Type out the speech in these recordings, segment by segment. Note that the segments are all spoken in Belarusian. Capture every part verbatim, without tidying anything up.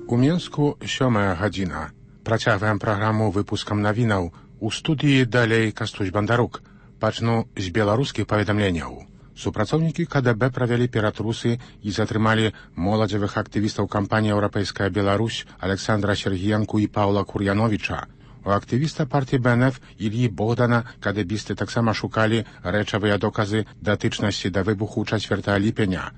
У Мінску сёмая гадзіна. Працягваем праграму выпускам навінаў. У студыі далей Кастусь Бандарук. Пачну з беларускіх паведамленняў. Супрацоўнікі ка дэ бэ правялі ператрусы і затрымалі моладзевых актывістаў кампаніі «Еўрапейская Беларусь» Александра Сергіенку і Паўла Кур'яновіча. У актывіста партыі бэ эн эф Ільі Богдана кадэбісты таксама шукалі рэчавыя доказы датычнасці да выбуху чацвёртага ліпеня.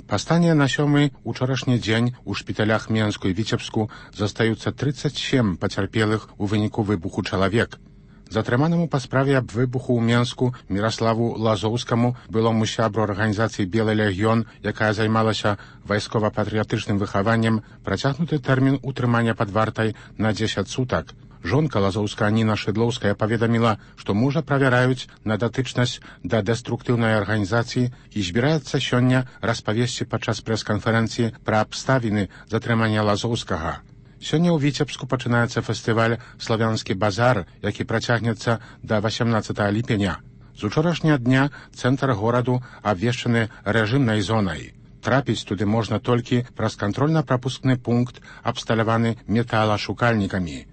Па стане на сёмы учорашні дзень у шпіталях Менску і Віцебску застаюцца трыццаць сем пацярпелых у выніку выбуху чалавек. Затрыманаму па справе аб выбуху ў Менску Міраславу Лазоўскаму, былому сябру арганізацыі «Белы легіён», якая займалася вайскова-патрыятычным выхаваннем, працягнуты тэрмін утрымання пад вартай на дзесяць сутак. Жонка Лазоўска Ніна Шыдлоўская паведаміла, што мужа правяраюць на датычнасць да дэструктыўнай арганізацыі і збіраецца сёння распавесці падчас прэс-канферэнцыі пра абставіны затрымання Лазоўскага. Сёння ў Віцебску пачынаецца фестываль «Славянскі базар», які працягнецца да васямнаццатага ліпеня. З учорашняга дня цэнтр гораду абвешчаны рэжымнай зонай. Трапіць туды можна толькі праз кантрольна-прапускны пункт, абсталяваны металашукальнікамі.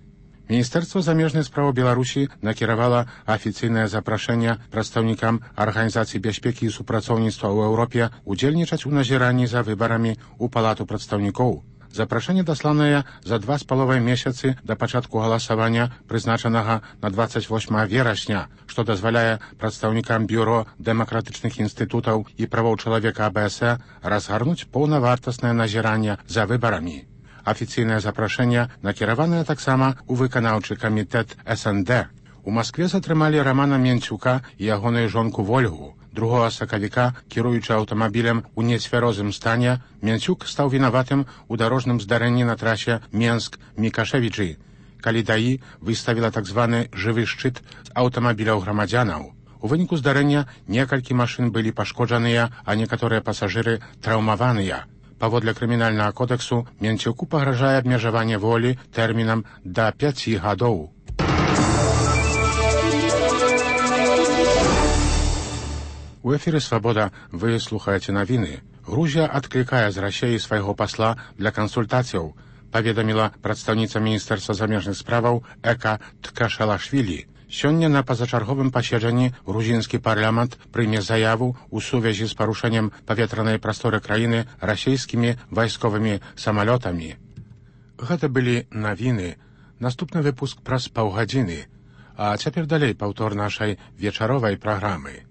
Міністэрства замежнай справы Беларусі накіравала афіцыйнае запрашэнне прадстаўнікам Арганізацыі бяспекі і супрацоўніцтва ў Еўропе удзельнічаць у назіранні за выбарамі ў Палату прадстаўнікоў. Запрашэнне дасланае за два з паловай месяцы да пачатку галасавання, прызначанага на дваццаць восьмага верасня, што дазваляе прадстаўнікам бюро дэмакратычных інстытутаў і правоў чалавека а бэ эс э разгарнуць паўнавартаснае назіранне за выбарамі. Афіцыйнае запрашэнне накіраванае таксама ў выканаўчы камітэт эс эн дэ. У Маскве затрымалі Рамана Менцюка і ягоную жонку Вольгу. Другога сакавіка, кіруючы аўтамабілем у нецвярозым стане, Менцюк стаў вінаватым у дарожным здарэнні на трасе Менск-Мікашевічы, калі даі выставіла так званы жывы шчыт з аўтамабіляў грамадзянаў. У выніку здарэння некалькі машын былі пашкоджаныя, а некаторыя пасажыры траўмаваныя. Паводле крымінальнага кодэксу Менцюку пагражае абмежаванне волі тэрмінам да пяці гадоў. У эфіры «Свабода» вы слухаеце навіны. Грузія адклікае з Расіі свайго пасла для кансультацыяў, паведаміла прадстаўніца Міністэрства замежных справаў Эка Ткашалашвілі. Сёння на пазачарговым паседжанні грузінскі парламент прыме заяву ў сувязі з парушэннем паветранай прасторы краіны расійскімі вайсковымі самалётамі. Гэта былі навіны. Наступны выпуск праз паўгадзіны. А цяпер далей паўтор нашай вечаровай праграмы.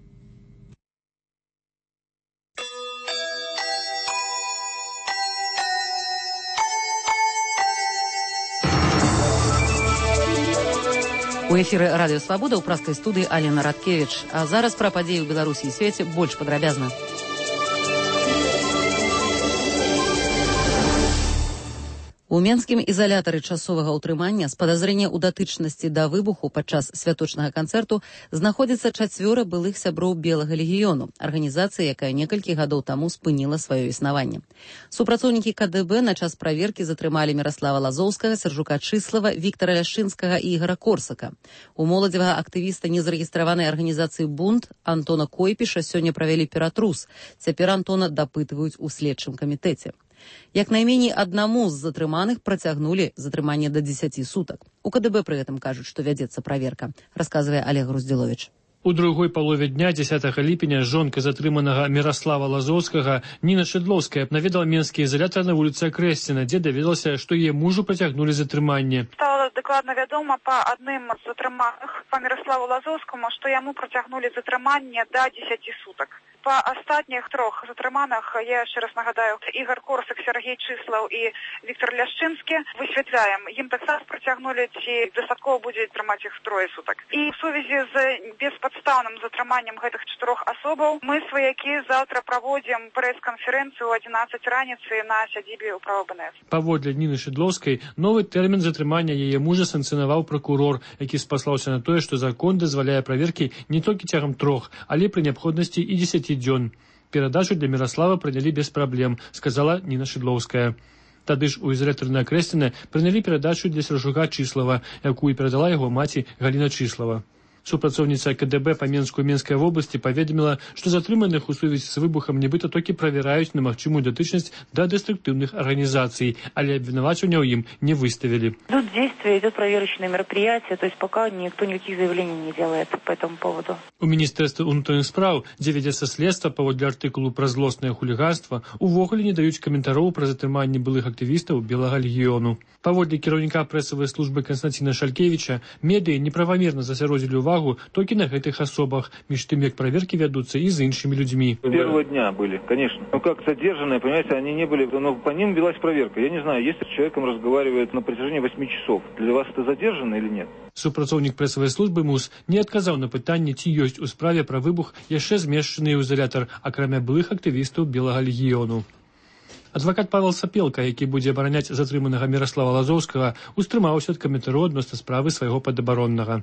У эфіры радыё «Свабода» ў праскай студыі Алена Радкевіч. А зараз пра падзеі ў Беларусі і свеце больш падрабязна. У менскім ізалятары часовага ўтрымання з падазрэння ў датычнасці да выбуху падчас святочнага канцэрту знаходзіцца чацвёра былых сяброў Белага легіёну, арганізацыя, якая некалькі гадоў таму спыніла сваё існаванне. Супрацоўнікі ка дэ бэ на час праверкі затрымалі Міраслава Лазоўскага, Сяржука Чыслава, Віктара Ляшчынскага і Ігара Корсака. У моладзевага актывіста незарэгістраванай арганізацыі «Бунт» Антона Койпіша сёння правялі ператрус. Цяпер Антона дапытваюць у следчым камітэце. Як найменей аднаму з затрыманых працягнулі затрыманне да дзесяці сутак. У ка дэ бэ пры гэтым кажуць, што вядзецца праверка, расказвае Олег Груздзіловіч. У другой палове дня дзесятага ліпеня жонка затрыманага Міраслава Лазоўскага Ніна Шыдлоўская наведала менскі ізалятар на вуліцы Акрэсціна, дзе даведалася, што яе мужу працягнулі затрыманне. Стала дакладна вядома па адным з затрыманых, па Міраславу Лазоўскаму, што яму працягнулі затрыманне да дзесяці сутак. Па астатніх трох затрыманых, я яшчэ раз нагадаю, Ігар Корсак, Сергей Чыслаў і Віктор Ляшчынскі, высвятляем, ім таксама працягнулі, ці дастаткова будзе трымаць іх трое сутак. І в сувязі з беспадстаўным затрыманнем гэтых чатырох асобаў мы, сваякі, заўтра праводзім прэс-канферэнцыю ў адзінаццаць раніцы на сядзібе ўправа бэ эн эф. Паводле Ніны Шыдлоўскай, новы тэрмін затрымання яе мужа санкцыянаваў пракурор, які спаслаўся на тое, што закон дазваляе праверкі не толькі цягам трох, але пры неабходнасці і дзесяці дзён. Перадачу для Міраслава прынялі без праблем, сказала Ніна Шыдлоўская. Тады ж у ізалятары на Акрэсціна прынялі перадачу для Сяржука Чыслава, якую перадала яго маці Галіна Чыслава. Супрацоўніца КДБ па Менску і Менскай вобласці паведаміла, што затрыманых у сувязі з выбухам нібыта толькі правяраюць на магчымую датычнасць да дэструктыўных арганізацый, але абвінавачвання ў ім не выставілі. Тут действие идет проверочное мероприятие, то есть пока никто никаких заявлений не делает по этому поводу. У Міністэрства ўнутраных спраў, дзе вядзецца следства паводле артыкулу пра злоснае хуліганства, увогуле не даюць каментароў пра затрыманне былых актывістаў Белага легіёну. Паводле кіраўніка прэсавай службы Константина Шалькевича, медыі неправамерна засяродзілі увагу толькі на гэтых асобах, між тым, як праверкі вядуцца і з іншымі людзьмі. С первого дня были, конечно. Ну как задержанные, понимаете, они не были, но по ним велась проверка. Я не знаю, если с человеком разговаривает на протяжении восьми часов, для вас это задержанный или нет? Супрацоўнік прэсавай службы МУС не адказаў на пытанне, ці ёсць у справе пра выбух яшчэ змешчаны ў изолятар, акрамя былых актывістаў Белага легіёну. Адвакат Павел Сапелка, які будзе абараняць затрыманага Міраслава Лазоўскага, устрымаўся ад каментару адносна справы свайго падабароннага.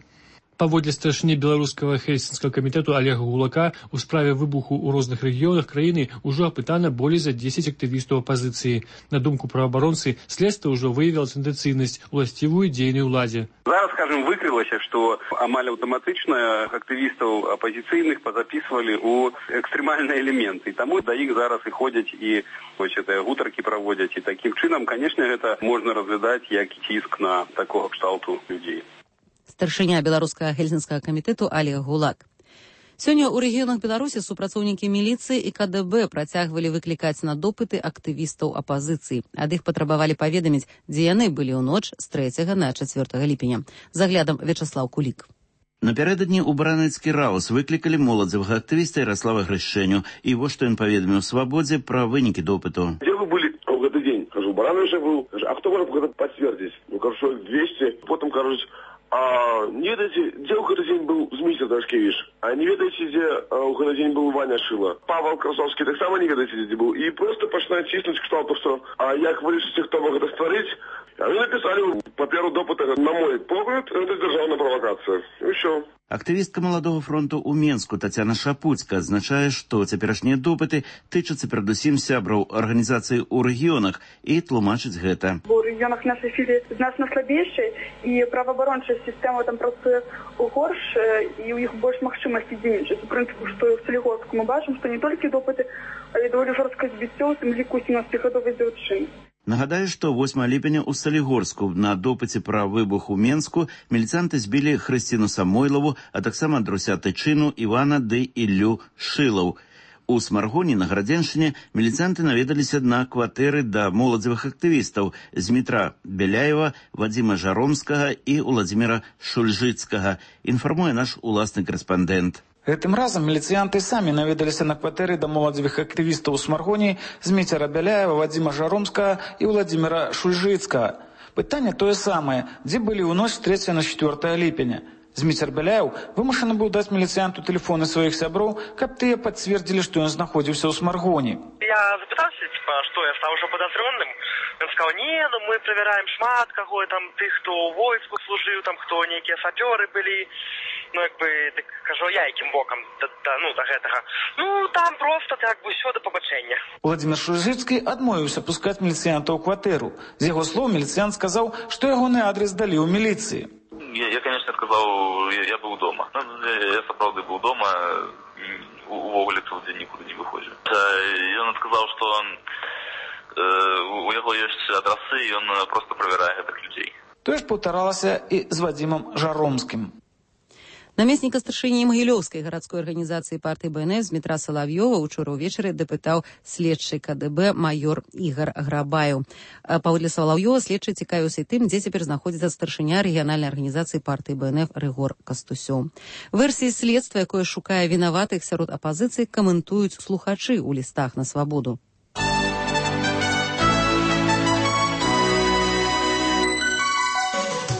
Паводле старшыні беларускага хельсінскага камітэту Олега Гулака, у справе выбуху ў розных рэгіёнах краіны ўжо апытана болей за дзесяць актывістаў апазіцыі. На думку праваабаронцы, следства ўжо выявіла тэндэнцыйнасць, уласцівую дзейнай уладзе. Зараз, скажем, выкрылася, што амаль аўтаматычна актывістаў апазіцыйных пазапісвалі ў экстрэмальныя элементы. Таму да іх зараз і ходзяць і вось гэтыя гутаркі праводзяць. І такім чынам, канешне, гэта можна разглядаць як ціск на такога кшталту людзей. Старшыня беларускага хельсінскага камітэту Олег Гулак. Сёння ў рэгіёнах Беларусі супрацоўнікі міліцыі і КДБ працягвалі выклікаць на допыты актывістаў апазіцыі. Ад іх патрабавалі паведаміць, дзе яны былі ў ноч з трэцяга на чацвёртага ліпеня. З аглядам Вячаслаў Кулік. Напярэдадні ў Баранецкі раус выклікалі моладзевага актывіста Ярослава Грышэню. І вось што ён паведаміў Свабодзе пра вынікі допыту. Где вы были в этот день? Кажу, Барановича был. А кто может это подтвердить? Ну, кажу, двести. Потом, кажу, а не ведаете, где у этот день был Змитер Дашкевич? А не ведаете, где у этот день был Ваня Шила? Павел Красовский так само не ведаете, где был. И просто пачинает чиснуть к тому, что а як вырішыце, хто мог это створить. А вы написали по первому допыту, на мой погляд, это державная провокация. И все. Актывістка Маладога фронту ў Менску Тацяна Шапуцька адзначае, што цяперашнія допыты тычацца перадусім сябраў арганізацыі ў рэгіёнах і тлумачыць гэта. У рэгіёнах нашай сілы значна слабейшай і праваабарончая сістэма там працуе горш і ў іх больш магчымасці дзейнічаць. У прынцыпу, што ў Салігорску мы бачым, што не толькі допыты, але даволі жорсткае збіццё, у тым ліку сямнаццацігадовай дзяўчыны. Нагадаю, што восьмага ліпеня ў Салігорску на допыце пра выбух у Менску міліцанты збілі Хрысціну Самойлаву, а таксама Друся Тычыну, Івана ды Іллю Шылаў. У Смаргоні на Градзеншчыне міліцанты наведаліся на кватэры да моладзевых актывістаў Змітра Беляева, Вадзіма Жаромскага і Уладзіміра Шульжыцкага, інфармуе наш уласны корэспандэнт. Гэтым разам міліцыянты самі наведаліся на кватэры да моладзевых актывістаў у Смаргоні Зміцера Бяляева, Вадзіма Жаромскага і Уладзіміра Шульжыцкага. Пытанне тое самае, дзе былі ў ноч з трэцяга на чацвёртае ліпеня. Зміцер Бяляеў вымушаны быў даць міліцыянту тэлефоны сваіх сяброў, каб тыя пацвердзілі, што ён знаходзіўся ў Смаргоні. Я запытаўся, типа, што я стаў ужо падазроным. Ён сказаў, не, ну мы правяраем шмат каго, там тых, хто ў войску служыў, там хто нейкія сапёры былі. Ну, як бы, так, кажу, я якім бокам, да, да, ну, да гэтага. Ну, там просто, так бы, ўсё да пабачэння. Уладзімір Шульжыцкі адмовіўся пускаць міліцыянта ў кватэру. З яго слоў міліцыянт сказаў, што ягоны адрес далі ў міліцыі. Я, я конечно, сказал, я, я был дома. Ну, я, я, правда, был дома, увогуле тут никуда не выходил. И он сказал, что он, э, у него есть адресы, и он просто проверяет этих людей. Тое ж паўтаралася і з Вадзімам Жаромскім. Намесніка старшыні Магілёўскай гарадской арганізацыі партыі БНС Дмітра Салав'ёва учора ўвечары дапытаў следчы КДБ майор Ігар Грабаеў. Паводле Салав'ёва следчы цікавіўся тым, дзе цяпер знаходзіцца старшыня рэгіянальнай арганізацыі партыі БНФ Рыгор Кастусёў. Версіі следства, якое шукае вінаватых сярод апазіцыі, каментуюць слухачы ў лістах на Свабоду.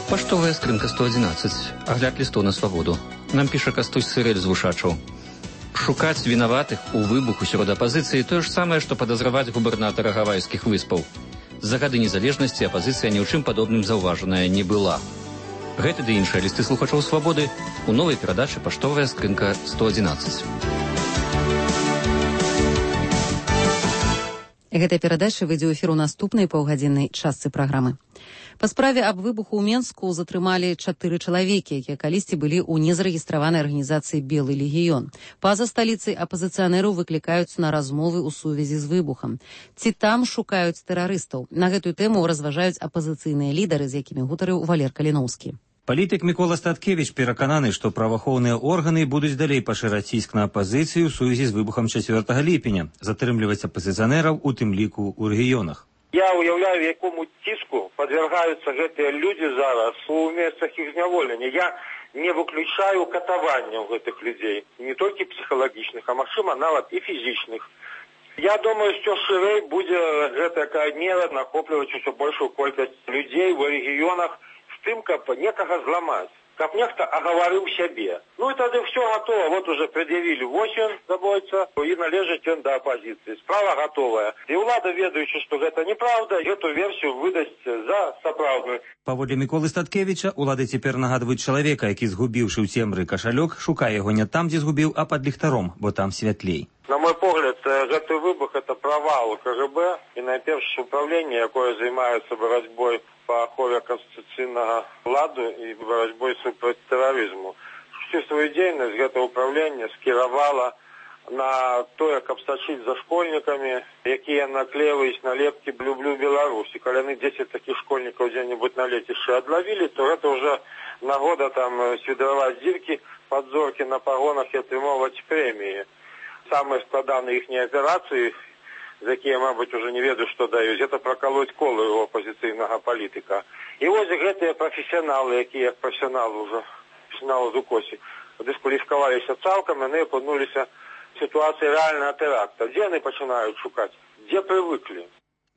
Паштовая скрынка сто адзінаццаць. Агляд лістоў на Свабоду. Нам піша Кастусь Сырэль з Вушачаў. Шукаць вінаватых у выбуху сярод апазіцыі тое ж самае, што падазраваць губернатара Гавайскіх выспаў. За гады незалежнасці апазіцыя ні ў чым падобным заўважаная не была. Гэты ды іншыя лісты слухачоў Свабоды у новай перадачы «Паштовая скрынка сто адзінаццаць». Гэтая перадача выйдзе ў эфір у наступнай паўгадзіннай частцы праграмы. Па справе аб выбуху ў Менску затрымалі чатыры чалавекі, якія калісьці былі ў незарэгістраванай арганізацыі «Белы легіён». Па-за сталіцай апазіцыянераў выклікаюць на размовы ў сувязі з выбухам. Ці там шукаюць тэрарыстаў? На гэтую тэму разважаюць апазіцыйныя лідары, з якімі гутарыў Валер Каліноўскі. Палітык Мікола Статкевіч перакананы, што праваахоўныя органы будуць далей пашыраць ціск на апазіцыю ў сувязі з выбухам чацвёртага ліпеня, затрымліваць апазіцыянераў, у тым ліку ў рэгіёнах. Я уяўляю, якому ціску падвяргаюцца гэтыя людзі зараз у месцах іх зняволення. Я не выключаю катаванняў гэтых людзей, не толькі псіхалагічных, а магчыма нават і фізічных. Я думаю, што шырэй будзе гэтая мера нахопліваць усё большую колькасць людзей у рэгіёнах з тым, каб некага зламаць, каб нехта агаварыў сябе. Ну і тады ўсё гатова. Вот уже пред'явілі восень забойца і належыць ён да апазіцыі. Справа гатовая. І ўлада, ведаючы, што гэта неправда, гэту версію выдасць за сапраўдную. Паводле Міколы Статкевіча, улады цяпер нагадваюць чалавека, які, згубіўшы ў цемры кашалёк, шукае яго не там, дзе згубіў, а пад ліхтаром, бо там святлей. На мой погляд, гэты выбух – это провал КГБ і найперш управління, якое займаецца барацьбой по ахове конституцыйнага ладу і барацьбой супраць тэрарызму. Всю свою дзейнасць гэта управлінне скіравала на тое, каб сачыць за школьнікамі, якія наклеиваюць налепкі «Люблю Беларусь». І калі яны дзесяць такіх школьнікаў дзе-небудзь на лецішчы адлавілі, то гэта ўжо нагода там свідраваць дзіркі, падзоркі на пагонах і атрымоўваць прэміі. Самые складанные их операции, за якія, мабуть, уже не ведаю, что даюць, это проколоть колы у оппозиционного политика. И вот гэтыя профессионалы, якія профессионалы уже, профессионалы з укосі, дискваліфікаваліся цалкам, яны апынуліся в ситуации реального теракта. Где они пачинают шукать? Где привыкли?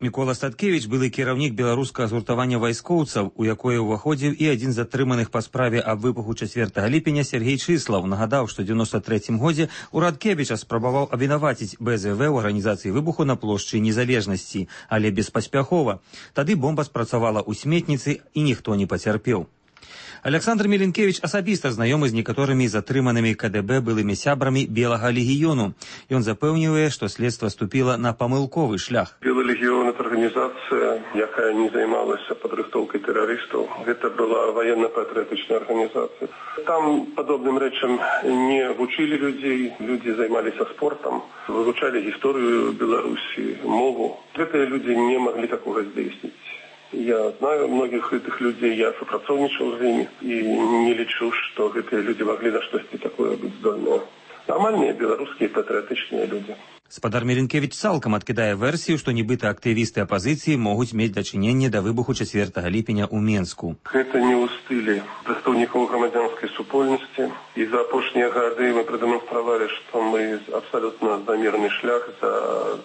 Мікола Статкевіч былы кіраўнік беларускага згуртавання вайскоўцаў, у якое ўваходзіў і адзін з затрыманых па справе аб выбуху чацвёртага ліпеня Сергей Чыслаў, нагадаў, што ў дзевяноста трэцім годзе ўрад Кебіча спрабаваў абвінаваціць БЗВ ў арганізацыі выбуху на плошчы Незалежнасці, але беспаспяхова. Тады бомба спрацавала ў сметніцы і ніхто не пацярпеў. Александр Міленкевіч асабіста знаёмы з некаторымі затрыманымі КДБ былымі сябрамі Белага легіёну. Ён запэўнівае, што следства ступіла на памылковы шлях. Белы легіён – это арганізацыя, якая не займалася падрыхтоўкай тэрарыстаў. Гэта была военно-патрыятычная арганізацыя. Там падобным рэчам не вучылі людзей, людзі займаліся спортам, вывучалі гісторыю Беларусі, мову. Гэтыя людзі не маглі такога здзейсніць. Я знаю многих этих людей, я супрацоўнічаў з імі і не лічу, што гэтыя людзі маглі на штосьці такое быць здольныя. Нармальныя беларускія патрыятычныя людзі. Спадар Міленкевіч цалкам адкідае версію, што нібыта актывісты апазіцыі могуць мець дачыненне да выбуху чацвёртага ліпеня ў Менску. Гэта не ў стылі прадстаўнікоў грамадзянскай супольнасці. І за апошнія гады мы прадэманстравалі, што мы абсалютна за мірны шлях, за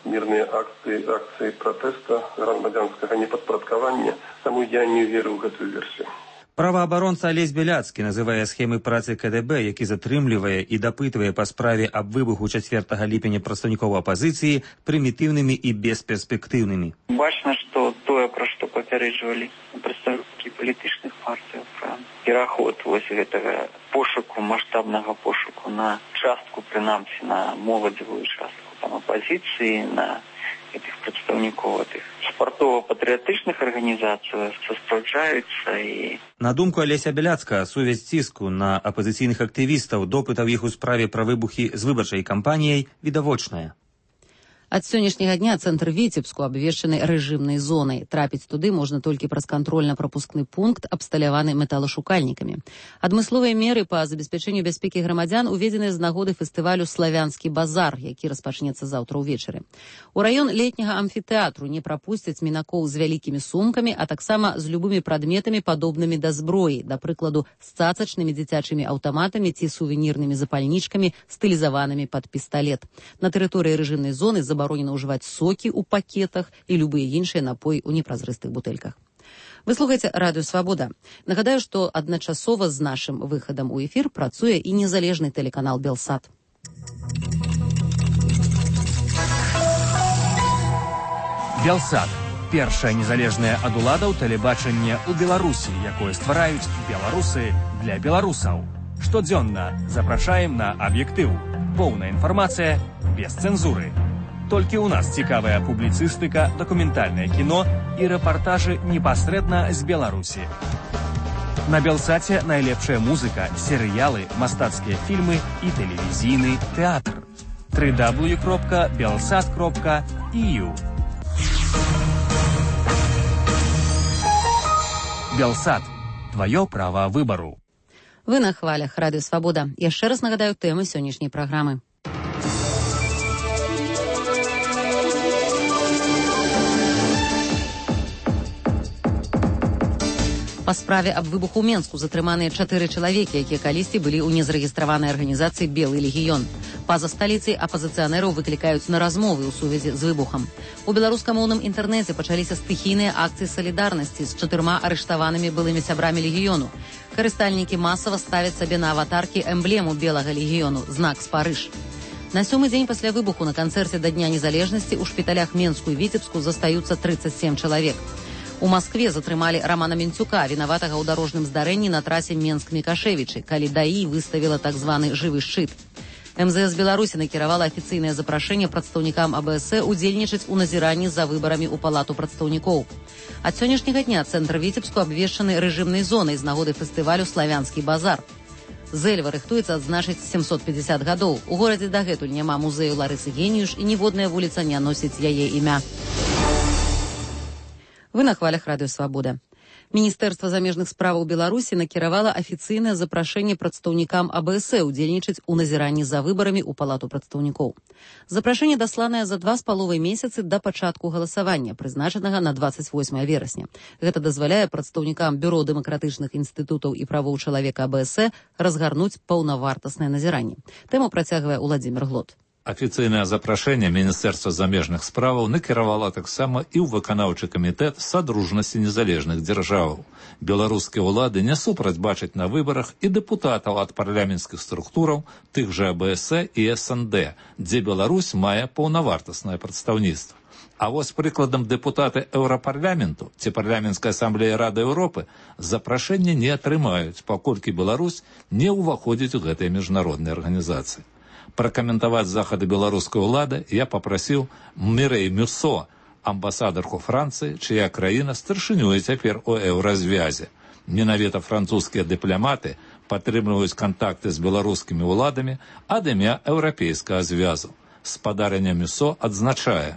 мірныя акцыі, акцыі пратэста грамадзянскага непадпарадкавання. Таму я не веру ў гэтую версію. Праваабаронца Алесь Беляцкі называе схемы працы КДБ, які затрымлівае і дапытвае па справе аб выбуху чацвёртага ліпеня прадстаўнікоў апазіцыі прымітыўнымі і бесперспектыўнымі. Бачна, што тое, пра што папярэджвалі прадстаўнікі палітычных партый, пра пераход вось гэтага пошуку, маштабнага пошуку на частку, прынамсі, на моладзевую частку там апазіцыі, на этих прадстаўнікоў этих спартова-патрыятычных арганізацый спраўджаюцца. І на думку Алеся Беляцкага, сувязь ціску на апазіцыйных актывістаў, допытаў іх у справе пра выбухі з выбарчай кампаніяй відавочная. Ад сённяшняга дня цэнтр Віцебску абвешчаны рэжымнай зонай. Трапіць туды можна толькі праз кантрольна-прапускны пункт, абсталяваны металашукальнікамі. Адмысловыя меры па забеспячэнню бяспекі грамадзян уведзены з нагоды фестывалю «Славянскі базар», які распачнецца заўтра ўвечары. У раён летняга амфітэатру не прапусцяць мінакоў з вялікімі сумкамі, а таксама з любымі прадметамі, падобнымі да зброі, да прыкладу, з цацачнымі дзіцячымі аўтаматамі ці сувенірнымі запальнічкамі, стылізаванымі пад пісталет. На тэрыторыі рэжымнай зоны забаронена ўжываць сокі ў пакетах і любыя іншыя напоі ў непразрыстых бутэльках. Вы слухаеце радыё «Свабода». Нагадаю, што адначасова з нашым выхадам у эфір працуе і незалежны тэлеканал «Белсат». «Белсат» – першае незалежнае ад уладаў тэлебачанне ў Беларусі, якое ствараюць беларусы для беларусаў. Штодзённа запрашаем на аб'ектыў. Поўная інфармацыя без цэнзуры. Толькі ў нас цікавая публіцыстыка, дакументальнае кіно і рэпартажы непасрэдна з Беларусі. На Белсаце найлепшая музыка, серыялы, мастацкія фільмы і тэлевізійны тэатр. дабл ю дабл ю дабл ю кропка белсат кропка і ю. Белсат. Твоё права выбару. Вы на хвалях Радыё Свабода. Яшчэ раз нагадаю тэмы сённяшняй праграмы. Па справе аб выбуху ў Менску затрыманыя чатыры чалавекі, якія калісьці былі ў незарэгістраванай арганізацыі «Белы легіён». Па-за сталіцай апазіцыянераў выклікаюць на размовы ў сувязі з выбухам. У беларускамоўным інтэрнэце пачаліся стыхійныя акцыі салідарнасці з чатырма арыштаванымі былымі сябрамі легіёну. Карыстальнікі масава ставяць сабе на аватаркі эмблему белага легіёну – знак Спарыж. На сёмы дзень пасля выбуху на канцэрце да Дня незалежнасці ў шпіталях Менску і Віцебску застаюцца трыццаць сем чалавек. У Маскве затрымалі Рамана Менцюка, вінаватага ў дарожным здарэнні на трасе Менск-Мікашевічы, калі ДАІ выставіла так званы жывы шчыт. эм зэ эс Беларусі накіравала афіцыйнае запрашэнне прадстаўнікам а бэ эс э удзельнічаць у назіранні за выбарамі ў палату прадстаўнікоў. Ад сённяшняга дня цэнтр Віцебску абвешчаны рэжымнай зонай з нагоды фестывалю «Славянскі базар». Зэльва рыхтуецца адзначыць сямсот пятьдесят гадоў. У горадзе дагэтуль няма музею Ларысы Геніюш і ніводная вуліца не носіць яе імя. Вы на хвалях Радыё Свабода. Міністэрства замежных справаў Беларусі накіравала афіцыйнае запрашэнне прадстаўнікам а бэ эс э удзельнічаць у назіранні за выбарамі ў палату прадстаўнікоў. Запрашэнне дасланае за два з паловай месяцы да пачатку галасавання, прызначанага на двадцать восьмое верасня. Гэта дазваляе прадстаўнікам бюро дэмакратычных інстытутаў і правоў чалавека а бэ эс э разгарнуць паўнавартаснае назіранне. Тэму працягвае Уладзімір Глот. Афіцыйнае запрашэнне Міністэрства замежных справаў накіравала таксама і ў выканаўчы камітэт Садружнасці незалежных дзяржаваў. Беларускія ўлады не супраць бачаць на выбарах і дэпутатаў ад парламенцкіх структураў, тых жа а бэ эс э і эс эн дэ, дзе Беларусь мае паўнавартаснае прадстаўніцтва. А вось прыкладам дэпутаты Еўрапарламенту ці парламенцкай асамблеі Рады Еўропы запрашэнне не атрымаюць, паколькі Беларусь не ўваходзіць у гэтыя міжнародныя арганізацыі. Пракаментаваць захады беларускай улады я папрасіў Мірэй Мюссо, амбасадарку Францыі, чыя краіна старшынюе цяпер у еўразвязе. Менавіта французскія дыпламаты падтрымліваюць кантакты з беларускімі ўладамі ад імя еўрапейскага звязу. Спадарня Мюссо адзначае: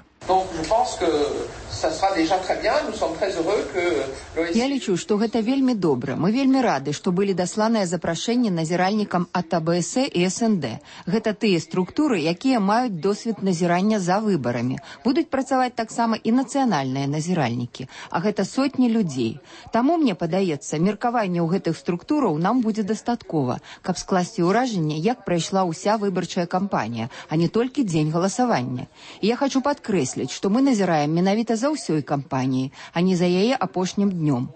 Я лічу, што гэта вельмі добра. Мы вельмі рады, што былі дасланыя запрашэнні назіральнікам ад а бэ эс э і эс эн дэ. Гэта тыя структуры, якія маюць досвед назірання за выбарамі. Будуць працаваць таксама і нацыянальныя назіральнікі. А гэта сотні людзей. Таму, мне падаецца, меркаванне ў гэтых структураў нам будзе дастаткова, каб скласці ўражанне, як прайшла ўся выбарчая кампанія, а не толькі дзень галасавання. І я хочу падкрэсліць, што мы назіраем менавіта за ўсёй кампаніі, а не за яе апошнім днём.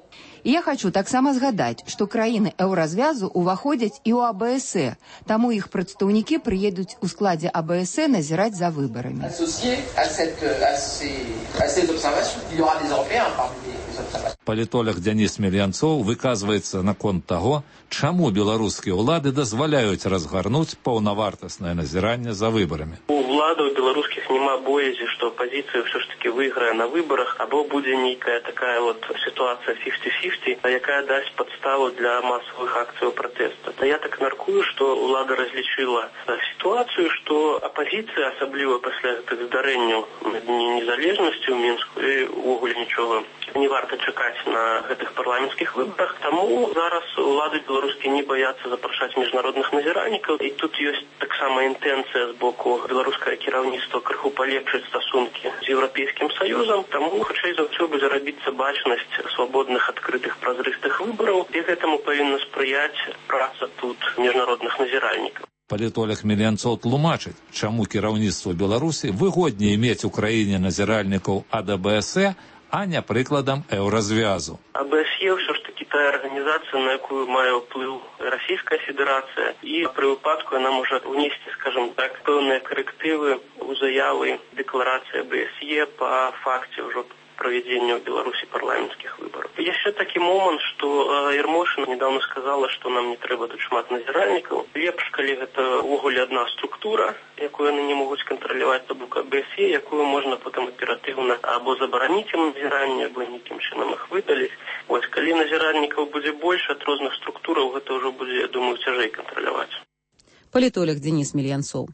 І я хочу таксама згадаць, што краіны еўразвязу ўваходзяць і ў а бэ эс э, таму іх прадстаўнікі прыедуць у складзе а бэ эс э назіраць за выбарамі. Палітолог Дзяніс Мельянцоў выказваецца наконт таго, чаму беларускія ўлады дазваляюць разгарнуць паўнавартаснае назіранне за выбарамі. У ўладаў беларускіх няма боязі, што апазіцыя ўсё ж такі выйграе на выбарах, або будзе нейкая такая вот сітуацыя фіфці фіфці, якая дасць падставу для масавых акцыяў пратэста. Я так мяркую, што ўлада разлічыла сітуацыю, што апазіцыя, асабліва пасля гэтых здарэнняў на Дні незалежнасці ў Мінску, і ўвогуле нічога не варта чакаць на гэтых парламенцкіх выбарах. Таму зараз улады беларускія не баяцца запрашаць міжнародных назіральнікаў. І тут ёсць таксама інтэнцыя з боку беларускае кіраўніцтва крыху палепшыць стасункі з Еўрапейскім Саюзам. Таму хутчэй за ўсё будзе рабіцца бачнасць свабодных, адкрытых, празрыстых выбараў. І гэтаму павінна спрыяць праца тут міжнародных назіральнікаў. Палітолог Мельянцоў тлумачыць, чаму кіраўніцтву Беларусі выгодней мець у краіне назіральнікаў ад а бэ эс э, а не прыкладам еўразвязу. а бэ эс е ўсё ж такі тая арганізацыя, на якую мае ўплыў Расійская Федэрацыя, і пры выпадку яна можа внесці, скажем так, пэўныя карэктывы ў заявы дэкларацыі а бэ эс е па факце ўжо проведения в Беларуси парламентских выборов. Еще такой момент, что э, Ермошина недавно сказала, что нам не треба тут шмат назиральников. Лепш, коли это в огуле одна структура, яку они не могут контролировать, то бука БСЕ, яку можно потом оперативно або заборонить им назирание, або никаким чином их выдалить. Вот, коли назиральников будет больше от разных структур, это уже будет, я думаю, тяжелее контролировать. Палітолог Денис Мільянцоў.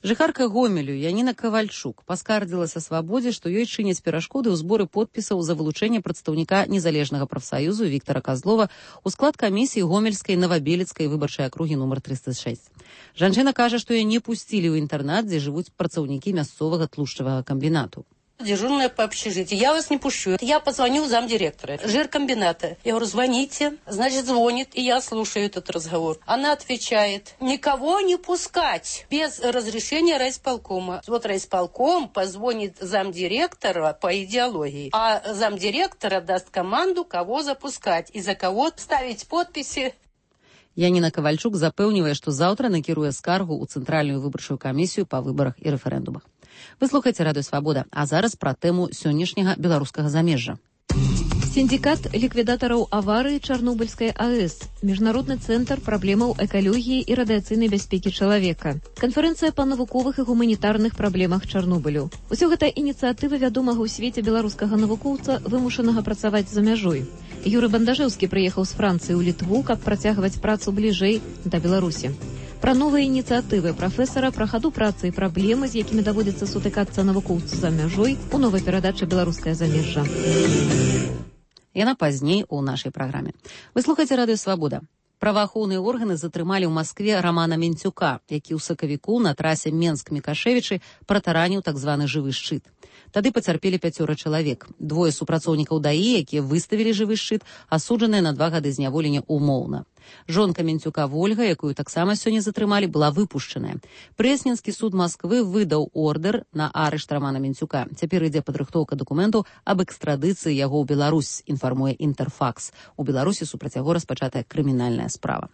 Жыхарка Гомелю Яніна Кавальчук паскардзілася свабодзе, што ёй чыняць перашкоды ў зборы подпісаў за вылучэнне прадстаўніка незалежнага прафсаюзу Віктара Казлова ў склад камісіі Гомельскай Новабелецкай выбарчай акругі нумар трыста шэсць. Жанчына кажа, што яе не пусцілі ў інтэрнат, дзе жывуць працаўнікі мясцовага тлушчавага камбінату. Дежурная по общежитию. Я вас не пущу. Я позвоню замдиректора жиркомбината. Я говорю, звоните. Значит, звонит, и я слушаю этот разговор. Она отвечает, никого не пускать без разрешения райисполкома. Вот райисполком позвонит замдиректора по идеологии, а замдиректора даст команду, кого запускать и за кого ставить подписи. Яніна Кавальчук запэўнівае, што заўтра накіруе скаргу ў Цэнтральную выбарчую камісію па выбарах і рэферэндумах. Вы слухаеце Радыё Свабода, а зараз пра тэму сённяшняга беларускага замежжа. Синдикат ликвидаторов аварии Чернобыльской АЭС, Международный центр проблемаў экологии и радиационной бяспеки человека, конференция по навуковых и гуманитарных проблемах Чернобылю. Усё гэта инициатива вядомага ў свеце беларускага навукоўца, вымушанага працаваць за мяжой. Юрый Бандажэўскі прыехаў з Францыі ў Літву, каб працягваць працу бліжэй да Беларусі. Пра новыя ініцыятывы прафесара, пра хаду працы і праблемы, з якімі даводзіцца сутыкацца навукоўцу за мяжой, у новай перадачы «Беларускае замежжа». Яна пазней у нашай праграме. Вы слухаеце Радыё Свабода. Праваахоўныя органы затрымалі ў Маскве Рамана Менцюка, які ў сакавіку на трасе Менск-Мікашевічы пратараніў так званы жывы шчыт. Тады пацярпелі пяцёра чалавек. Двое супрацоўнікаў ДАІ, якія выставілі жывы шчыт, асуджаныя на два гады зняволення умоўна. Жонка Менцюка Вольга, якую таксама сёння затрымалі, была выпушчаная. Прэсненскі суд Масквы выдаў ордэр на арышт Рамана Менцюка. Цяпер ідзе падрыхтоўка дакументаў аб экстрадыцыі яго ў Беларусь, інфармуе Інтэрфакс. У Беларусі супраць яго распачатая крымінальная справа.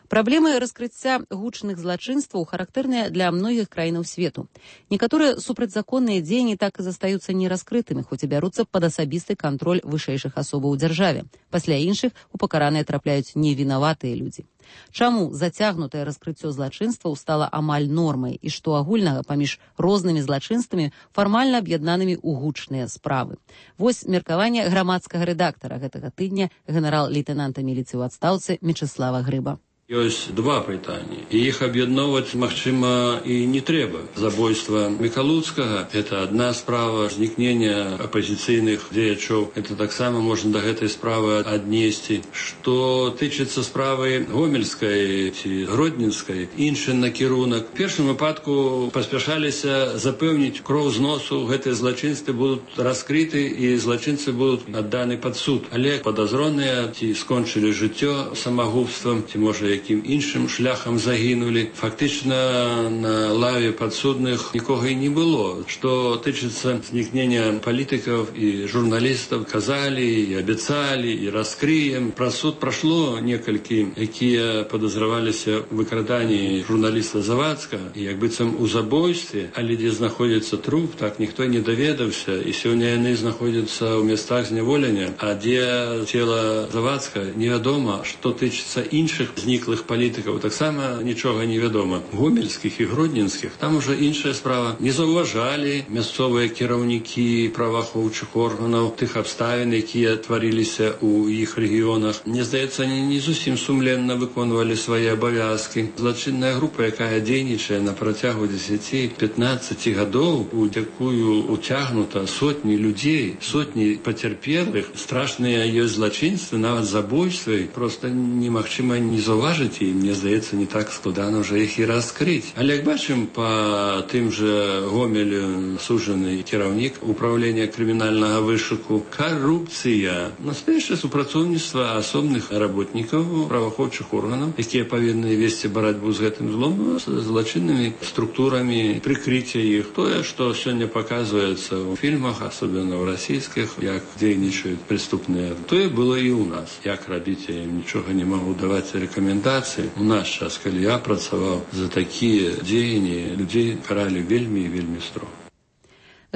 Праблемы раскрыцця гучных злачынстваў характэрныя для многіх краінаў свету. Некаторыя супрацьзаконныя дзеянні так і застаюцца нераскрытымі, хоць і бяруцца пад асабісты кантроль вышэйшых асобаў у дзяржаве. Пасля іншых у пакараныя трапляюць невінаватыя людзі. Чаму зацягнутае раскрыццё злачынстваў стала амаль нормай і што агульнага паміж рознымі злачынствамі фармальна аб'яднанымі ў гучныя справы? Вось меркаванне грамадскага рэдактара гэтага тыдня генерал-лейтэнанта міліцыі ў адстаўцы Мечыслава Грыба. Ёсць два пытанні, і іх аб'ядноўваць, магчыма, і не трэба. Забойства Мікалуцкага – это адна справа, знікнення апазіцыйных дзеячоў – это таксама можна да гэтай справы аднесці. Што тычыцца справы Гомельскай ці Гродненскай, іншы накірунак. В першым выпадку паспяшаліся запэўніць кроў з носу, гэтыя злачынствы будуць раскрыты і злачынцы будуць адданы пад суд. Але падазроныя ці скончылі жыццё самагубствам, ці можа якім іншым шляхам загінулі. Фактычна на лаве падсудных нікога і не было. Што тычыцца знікнення палітыкаў і журналістаў, казалі і абяцалі і раскрыем. Праз суд прашло некалькі, якія падазраваліся ў выкраданні журналіста Завадскага і як быццам у забойстве, але дзе знаходзіцца труп, так ніхто не даведаўся, і сёння яны знаходзяцца ў месцах зняволення, а дзе цела Завадскага невядома. Што тычыцца іншых зніклых палітыкаў, таксама нічога не вядома. Гомельскіх і гродненскіх там ужо іншая справа. Не заўважалі мясцовыя кіраўнікі праваахоўчых органаў тых абставін, якія тварыліся ў іх рэгіёнах. Мне здаецца, они не зусім сумленна выконвалі свае абавязкі. Злачынная група, якая дзейнічае на працягу дзесяці-пятнаццаці гадоў, у якую уцягнута сотні людзей, сотні пацярпелых, страшныя ёсць злачынствы, нават забойствы, проста немагчыма не заўважыць, і мне здаецца, не так складана ўжо іх і раскрыць. Але як бачым, па тым жа Гомелю сужаны кіраўнік управлення крымінальнага вышуку, карупцыя, настоящее супрацоўніцтва асобных работнікаў праваахоўчых органаў, якія павінны весці барацьбу з гэтым злом, з злачыннымі структурамі, прыкрыцця іх. Тое, што сёння паказваецца ў фільмах, асобна ў расійскіх, як дзейнічаюць преступныя, тое было і ў нас. Як рабіць, я ім нічога не магу даваць рэкамендацыі. У наш час, калі я працаваў, за такія дзеянні людзей каралі вельмі і вельмі строга.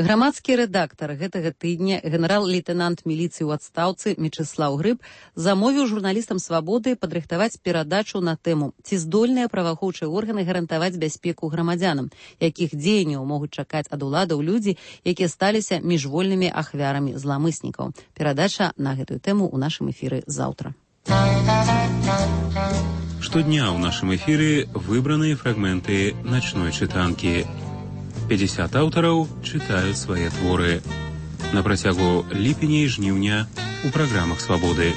Грамадскі рэдактар гэтага тыдня, генерал-лейтенант міліцыі ў адстаўцы Мечыслаў Грыб замовіў журналістам «Свабоды» падрыхтаваць перадачу на тэму «Ці здольныя праваахоўчыя органы гарантаваць бяспеку грамадзянам, якіх дзеянняў могуць чакаць ад уладаў людзі, якія сталіся міжвольнымі ахвярамі зламыснікаў». Перадача на гэтую тэму ў нашым эфіры заўтра. Штодня ў нашым эфіры выбраныя фрагменты начной чытанкі. пятьдесят аўтараў чытаюць свае творы. На працягу ліпеня і жніўня у праграмах «Свабоды».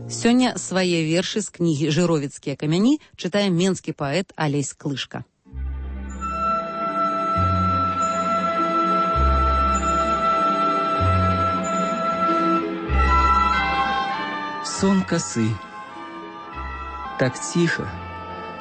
Сёння свае вершы з кнігі «Жыровіцкія камяні» чытае менскі паэт Алесь Клышка. Сон косы. Так ціха,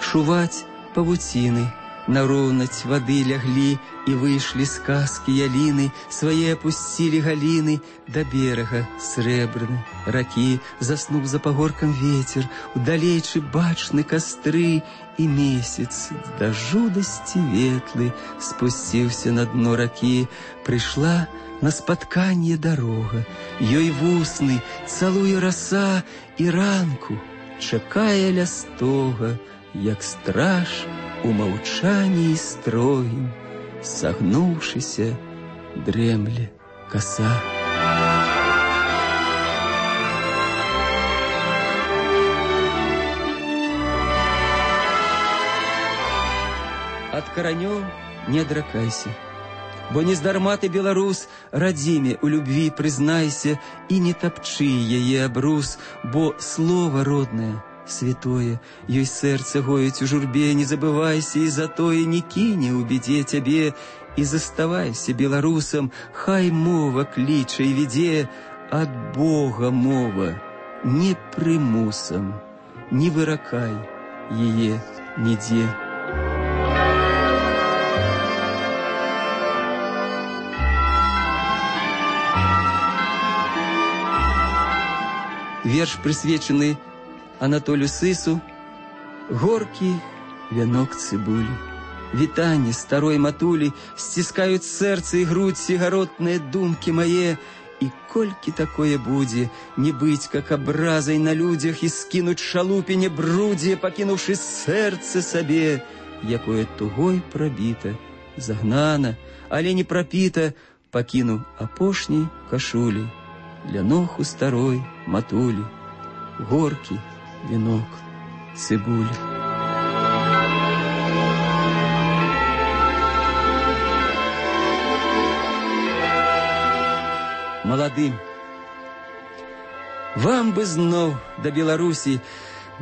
шуваць павуціны, на роўнаць вады ляглі, і выйшлі з казкі яліны, свае апусцілі галіны да берага срэбраны ракі. Заснуў за пагоркам вецер, удалейчы бачны кастры, і месяц да жудасці ветлы спусціўся на дно ракі. Прыйшла на спатканне дарога, ёй вусны цалуе раса, і ранку чакае ля стога, як страж у маўчанні строгім, сагнуўшыся, дрэмле коса. Ад каранёў не адракайся, бо нездарма ты, беларус, радзіме у любві прызнайся, і не тапчы яе абрус, бо слова роднае, святое, ёй сэрца гоіць у журбе, не забывайся, і затое не кіне ў бедзе цябе, і заставайся беларусам, хай мова кліча і ведзе, ад Бога мова, не прымусам, не выракай яе нідзе. Верш прысвечаны Анатолю Сысу, горкі вянок цыбулі. Вітанне старой матулі сціскаюць сэрца і грудь сігаротныя думкі мае, і колькі такое будзе, не быць как абразай на людзях і скінуць шалупіне брудзе, пакінуўшы сэрца сабе, якое тугой прабіта, загнана, але не прапіта, пакіну апошняй кашулі ля ног у старой матулі, горкі венок цыбулі. Маладым, вам бы зноў да Беларусі,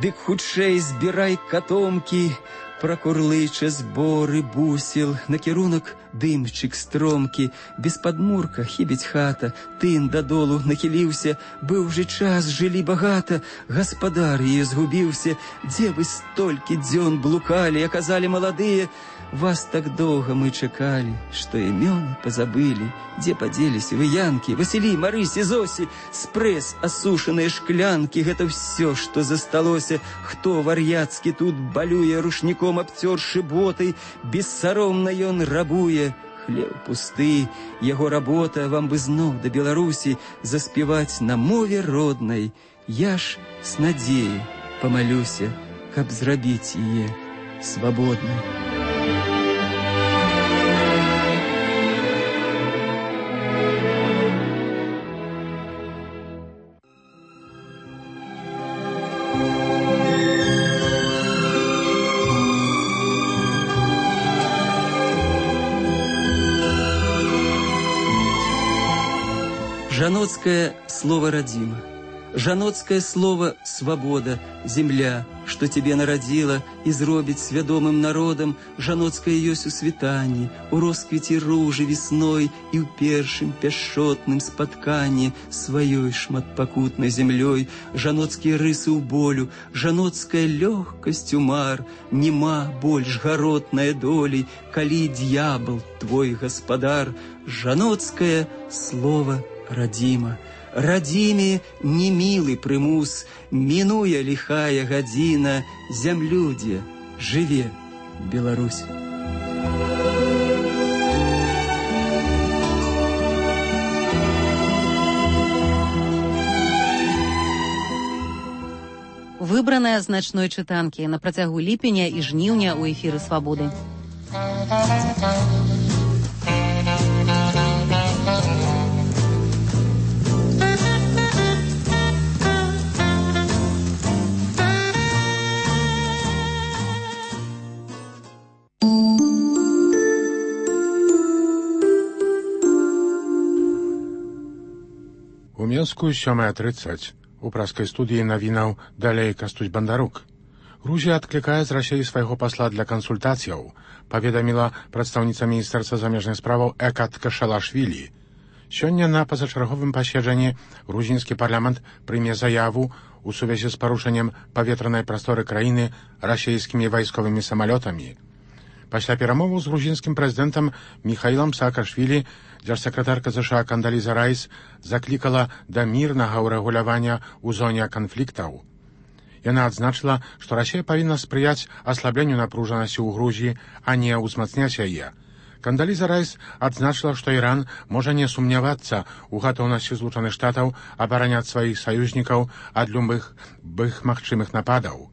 дык хутчэй збірай катомкі, пракурлыча зборы бусел, накірунак дымчык стромкі, без падмурка хібіць хата, тын дадолу нахіліўся, быў же час, жылі багата, гаспадар яе згубіўся, дзе вы столькі дзён блукалі, а казалі маладыя, вас так доўга мы чакалі, што імёны пазабылі, дзе падзеліся вы янкі, Васілі, Марысі, Зосі, спрэс, асушаныя шклянкі, гэта ўсё, што засталося, хто вар'яцкі тут балюе, рушніком абцёршы боты, бессаромна ён рабуе, хлеб пусты, яго работа, вам бы зноў да Беларусі заспяваць на мове роднай, я ж с надзеяй памалюся, каб зрабіць яе свабоднай. Жаноцкое слово родима, жаноцкое слово свобода, земля, что тебе народила и зробить свядомым народом, жаноцкое ёсць у світанні, у росквіці ружы весной и у першым пяшчотным спатканні сваёй шматпакутнай землёй, жаноцкія рысы ў болю, жаноцкая лёгкасць у мар, нема больш гаротная долей, калі д'ябл твой гаспадар, жаноцкое слово родима. Родиме немилый примус, минуя лихая година, землюдзе, живе Беларусь. выбраная з начной чытанкі на працягу ліпеня і жніўня ў эфіры «Свабоды». У Менску сёмая тридцать. У праскай студыі навінаў далей Кастусь Бандарук. Грузія адклікае з Расіі свайго пасла для кансультацыяў, паведаміла прадстаўніца міністэрства замежных справаў Экат Кашалашвілі. Сёння на пазачарговым паседжанні грузінскі парламент прыме заяву у сувязі з парушэннем паветранай прасторы краіны расійскімі вайсковымі самалётамі. Пасля перамоваў з грузінскім прэзідэнтам Міхаілам Саакашвілі дзяржсакратарка ЗША Кандаліза Райс заклікала да мірнага ўрэгулявання ў зоне канфліктаў. Яна адзначыла, што Расія павінна спрыяць аслабленню напружанасці ў Грузіі, а не ўзмацняць яе. Кандаліза Райс адзначыла, што Іран можа не сумнявацца ў гатоўнасці Злучаных Штатаў абараняць сваіх саюзнікаў ад любых бых магчымых нападаў.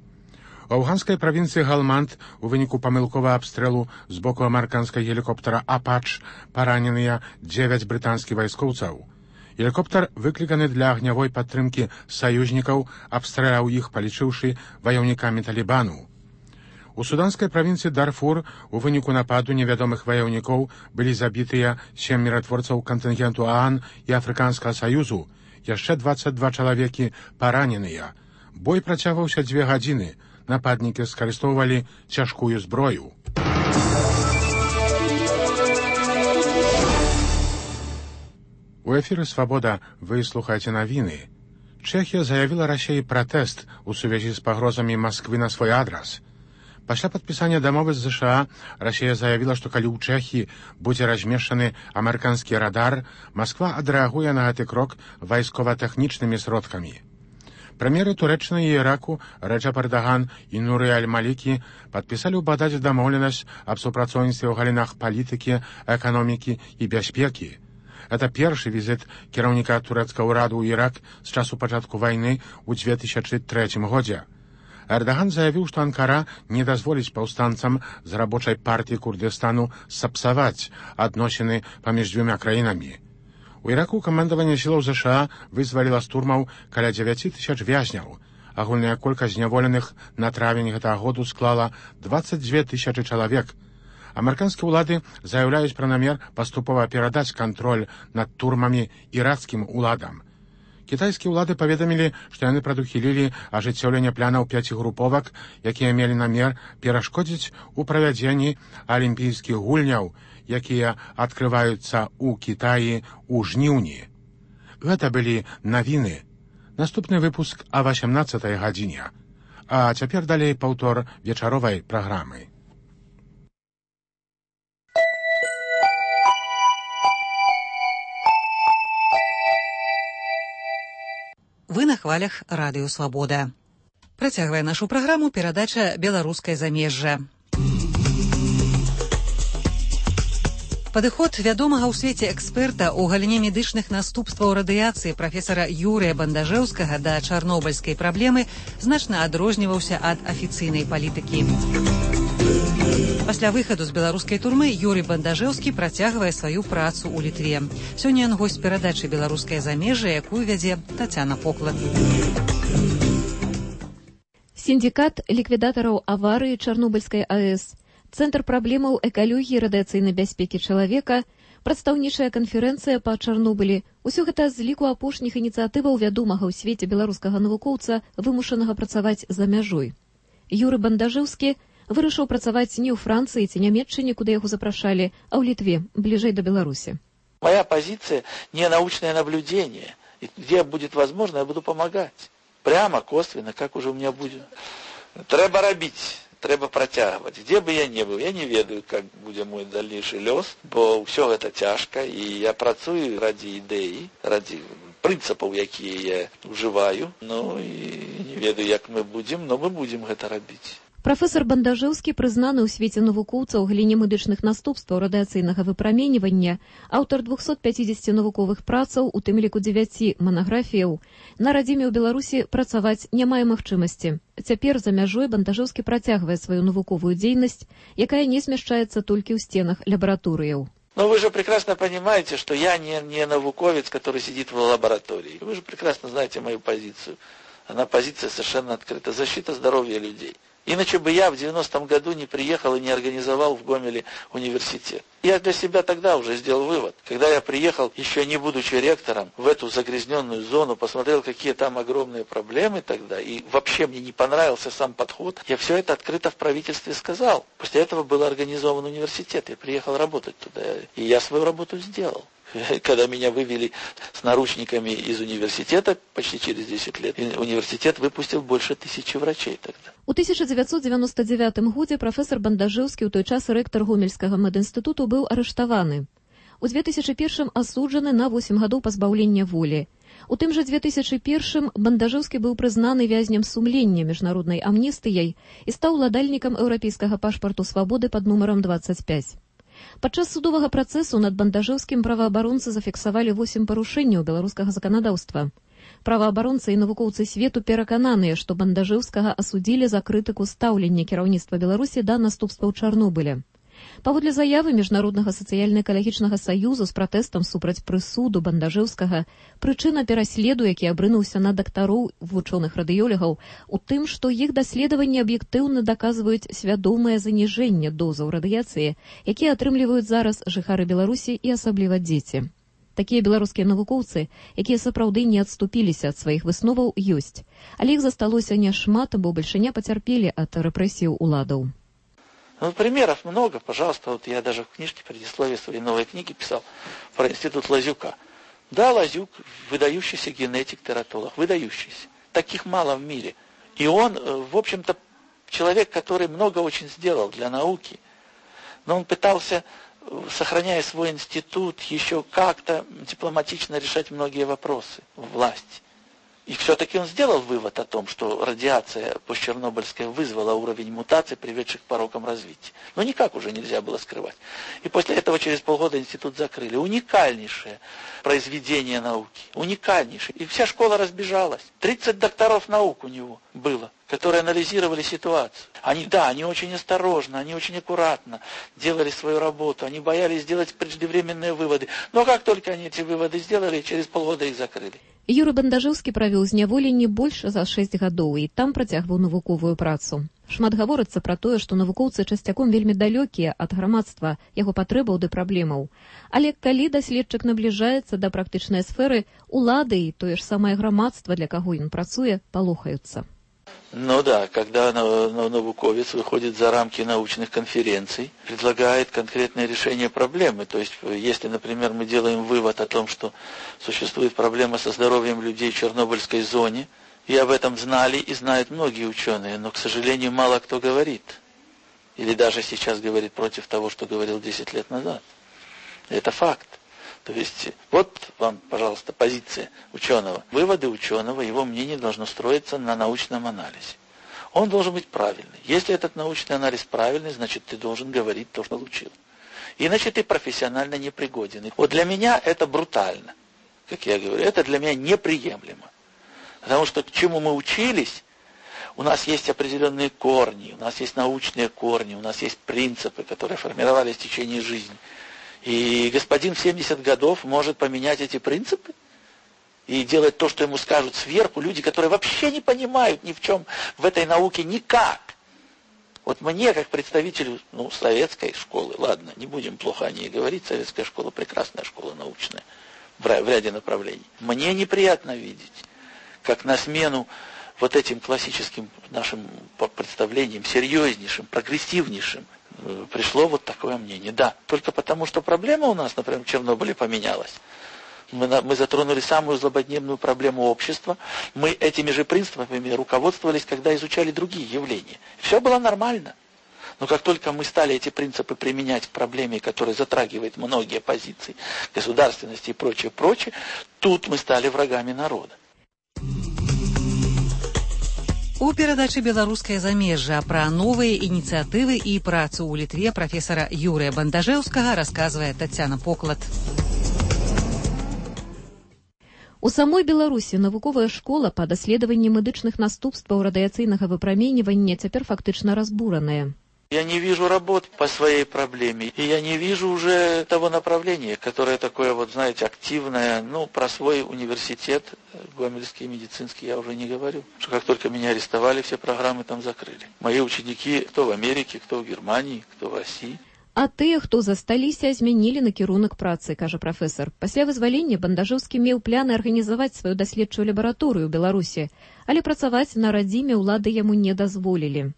У афганскай правінцыі Галманд у выніку памылковага абстрэлу з боку амерыканскай гелікоптара «Апач» параненыя дзевяць брытанскіх вайскоўцаў. Гелікоптар, выкліканы для агнявой падтрымкі саюзнікаў, абстраляў іх, палічыўшы ваяўнікамі Талібану. У суданскай правінцыі Дарфур у выніку нападу невядомых ваяўнікоў былі забітыя сем міратворцаў кантынгенту ААН і Афрыканскага саюзу, яшчэ дваццаць два чалавекі параненыя. Бой працягваўся дзве гадзіны. Нападнікі скарыстоўвалі цяжкую зброю. У эфіры «Свабода» вы слухаеце навіны. Чэхія заявіла Расіі пратэст у сувязі з пагрозамі Масквы на свой адрас. Пасля падпісання дамовы з ЗША Расія заявіла, што калі ў Чэхіі будзе размешчаны амерыканскі радар, Масква адрэагуе на гэты крок вайскова-тэхнічнымі сродкамі. Прамеры Турэччыны і Іраку Рэджап Эрдаган і Нуры Аль-Малікі падпісалі ў Багдадзе дамоўленасць аб супрацоўніцтве ў галінах палітыкі, эканомікі і бяспекі. Гэта першы візіт кіраўніка турэцкага ўраду ў Ірак з часу пачатку вайны ў дзве тысячы трэцім годзе. Эрдаган заявіў, што Анкара не дазволіць паўстанцам з рабочай партыі Курдыстану сапсаваць адносіны паміж дзвюма краінамі. У Іраку камандаванне сілаў ЗША вызваліла з турмаў каля дзевяці тысяч вязняў. Агульная колькасць зняволеных на травень гэтага году склала дваццаць дзве тысячы чалавек. Амерыканскія ўлады заяўляюць пра намер паступова перадаць кантроль над турмамі іракскім уладам. Кітайскія ўлады паведамілі, што яны прадухілілі ажыццёўленне планаў пяці груповак, якія мелі намер перашкодзіць у правядзенні алімпійскіх гульняў, якія адкрываюцца ў Кітаі ў жніўні. Гэта былі навіны. Наступны выпуск а васямнаццатай гадзіне. А цяпер далей паўтор вечаровай праграмы. Вы на хвалях радыё «Свабода». Працягвае нашу праграму перадача «Беларускае замежжа». Падыход вядомага ў свеце эксперта ў галіне медычных наступстваў радыяцыі прафесара Юрыя Бандажэўскага да чарнобыльскай праблемы значна адрозніваўся ад афіцыйнай палітыкі. Пасля выхаду з беларускай турмы Юрый Бандажэўскі працягвае сваю працу ў Літве. Сёння ён госць перадачы «Беларускае замежжа», якую вядзе Тацяна Поклад. Сіндикат ліквідатараў аварыі Чарнобыльскай АЭС, Цэнтр праблемаў экалогіі і радыяцыйнай бяспекі чалавека, прадстаўнічая канферэнцыя па Чарнобылі. Усё гэта з ліку апошніх ініцыятываў вядомага ў свеце беларускага навукоўца, вымушанага працаваць за мяжой. Юрый Бандажэўскі вырашыў працаваць не ў Францыі ці Нямецчыне, куды яго запрашалі, а ў Літве, бліжэй да Беларусі. Моя позиция не научное наблюдение. И где будет возможно, я буду помогать. Прямо, косвенно, как уже у меня будет. Треба робить. Трэба працягваць. Дзе бы я не быў, я не ведаю, как будзе мой дальнейшы лёс, бо ўсё гэта цяжка, і я працую ради ідэі, ради прынцыпаў, якія я ўжываю. Ну і не ведаю, як мы будзем, но мы будзем гэта рабіць. Прафесор Бандажэўскі прызнаны ў свеце навукоўцаў у галіне медычных наступстваў радыяцыйнага выпраменьвання, аўтар двухсот пятидесяти навуковых працаў, у тым ліку дзевяці манаграфіяў. На радзіме ў Беларусі працаваць не мае магчымасці. Цяпер за мяжой Бандажэўскі працягвае сваю навуковую дзейнасць, якая не змяшчаецца толькі ў стенах лабараторыяў. Но вы же прекрасно понимаете, что я не, не науковец, который сидит в лаборатории. Вы же прекрасно знаете мою позицию. Она позиция совершенно открыта. Защита здоровья людей. Иначе бы я в девяностом году не приехал и не организовал в Гомеле университет. Я для себя тогда уже сделал вывод. Когда я приехал, еще не будучи ректором, в эту загрязненную зону, посмотрел, какие там огромные проблемы тогда, и вообще мне не понравился сам подход, я все это открыто в правительстве сказал. После этого был организован университет, я приехал работать туда, и я свою работу сделал. Когда меня вывели с наручниками из университета почти через десять лет, университет выпустил больше тысячи врачей тогда. У тысяча девятьсот девяносто девятым годзе прафесор Бандажэўскі, у той час рэктар Гомельскага медінстытуту, быў арыштаваны. У две тысячи первым асуджаны на восемь гадоў пазбаўлення волі. У тым жа две тысячи первым Бандажэўскі быў прызнаны вязнем сумлення міжнароднай амністыяй і стаў уладальнікам еўрапейскага пашпарту свабоды пад нумарам двадцать пять. Падчас судовага працэсу над Бандажэўскім праваабаронцы зафіксавалі восемь парушэнняў беларускага заканадаўства. Праваабаронцы і навукоўцы свету перакананыя, што Бандажэўскага асудзілі за крытыку стаўлення кіраўніцтва Беларусі да наступстваў Чарнобыля. Паводле заявы Міжнароднага сацыяльна-экалагічнага саюзу з пратэстам супраць прысуду Бандажэўскага, прычына пераследу, які абрынуўся на дактароў вучоных радыёлегаў, у тым, што іх даследаванні аб'ектыўна даказваюць свядомае заніжэнне дозаў радыяцыі, якія атрымліваюць зараз жыхары Беларусі і асабліва дзеці. Такія беларускія навукоўцы, якія сапраўды не адступіліся ад сваіх высноваў, ёсць. Але іх засталося няшмат, бо бальшыня пацярпелі ад рэпрэсіяў уладаў. Ну, примеров много, пожалуйста. Вот я даже в книжке предисловие своей новой книги писал про институт Лазюка. Да, Лазюк выдающийся генетик, тератолог, выдающийся. Таких мало в мире. И он, в общем-то, человек, который много очень сделал для науки. Но он пытался, сохраняя свой институт, еще как-то дипломатично решать многие вопросы в власти. И все-таки он сделал вывод о том, что радиация постчернобыльская вызвала уровень мутаций, приведших к порокам развития. Но никак уже нельзя было скрывать. И после этого через полгода институт закрыли. Уникальнейшее произведение науки. Уникальнейшее. И вся школа разбежалась. тридцать докторов наук у него было, которые анализировали ситуацию. Они, да, они очень осторожно, они очень аккуратно делали свою работу. Они боялись сделать преждевременные выводы. Но как только они эти выводы сделали, через полгода их закрыли. Юры Бандажэўскі правёў зняволенне больш за шэсць гадоў і там працягваў навуковую працу. Шмат гаворыцца пра тое, што навукоўцы часцяком вельмі далёкія ад грамадства, яго патрэбаў ды праблемаў. Але калі даследчык набліжаецца да практычнай сферы, улады і тое ж самае грамадства, для каго ён працуе, палохаюцца. Ну да, когда науковец выходит за рамки научных конференций, предлагает конкретное решение проблемы. То есть, если, например, мы делаем вывод о том, что существует проблема со здоровьем людей в Чернобыльской зоне, и об этом знали и знают многие ученые, но, к сожалению, мало кто говорит. Или даже сейчас говорит против того, что говорил десять лет назад. Это факт. То есть, вот вам, пожалуйста, позиция ученого. Выводы ученого, его мнение должно строиться на научном анализе. Он должен быть правильный. Если этот научный анализ правильный, значит, ты должен говорить то, что получил. Иначе ты профессионально непригоден. Вот для меня это брутально. Как я говорю, это для меня неприемлемо. Потому что к чему мы учились, у нас есть определенные корни, у нас есть научные корни, у нас есть принципы, которые формировались в течение жизни. И господин в семьдесят годов может поменять эти принципы и делать то, что ему скажут сверху люди, которые вообще не понимают ни в чем в этой науке никак. Вот мне, как представителю ну, советской школы, ладно, не будем плохо о ней говорить, советская школа прекрасная школа научная в ряде направлений. Мне неприятно видеть, как на смену вот этим классическим нашим представлениям, серьезнейшим, прогрессивнейшим, пришло вот такое мнение. Да, только потому, что проблема у нас, например, в Чернобыле поменялась. Мы, мы затронули самую злободневную проблему общества. Мы этими же принципами руководствовались, когда изучали другие явления. Все было нормально. Но как только мы стали эти принципы применять к проблеме, которая затрагивает многие позиции государственности и прочее, прочее, тут мы стали врагами народа. У перадачы беларускае замежжа пра новыя ініцыятывы і працу ў Літве прафесара Юрыя Бандажэўскага расказвае Тацяна Поклад. У самой Беларусі навуковая школа па даследаванні медычных наступстваў радыяцыйнага выпраменьвання цяпер фактычна разбураная. Я не вижу работ по своей проблеме, и я не вижу уже того направления, которое такое, вот знаете, активное. Ну, про свой университет, Гомельский медицинский, я уже не говорю. Что как только меня арестовали, все программы там закрыли. Мои ученики, кто в Америке, кто в Германии, кто в России. А тыя, хто засталіся, змянілі накірунак працы, кажа прафесар. Пасля вызвалення Бандажэўскі меў пляны арганізаваць сваю даследчую лабараторыю ў Беларусі, але працаваць на радзіме ўлады яму не дазволілі.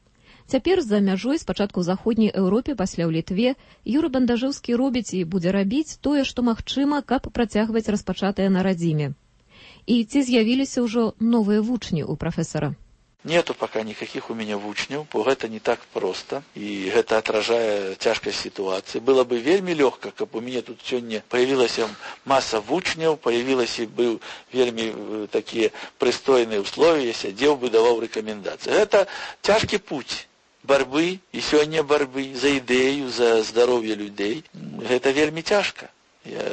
Цяпер за мяжой спачатку ў заходняй Еўропе, пасля ў Літве, Юра Бандажэўскі робіць і будзе рабіць тое, што магчыма, каб працягваць распачатае на радзіме. І ці з'явіліся ўжо новыя вучні ў прафесара? Нету пока никаких у меня вучняў, бо гэта не так просто, и это отражае цяжкасць ситуации. Было бы вельмі лёгка, каб у меня тут сёння появилася масса вучняў, появилась и был вельмі такие пристойные условия, я сядзеў бы, даваў рекомендации. Это цяжкі путь борьбы, и сёння борьбы за ідэю, за здароўе людей. Это вельмі цяжка. Я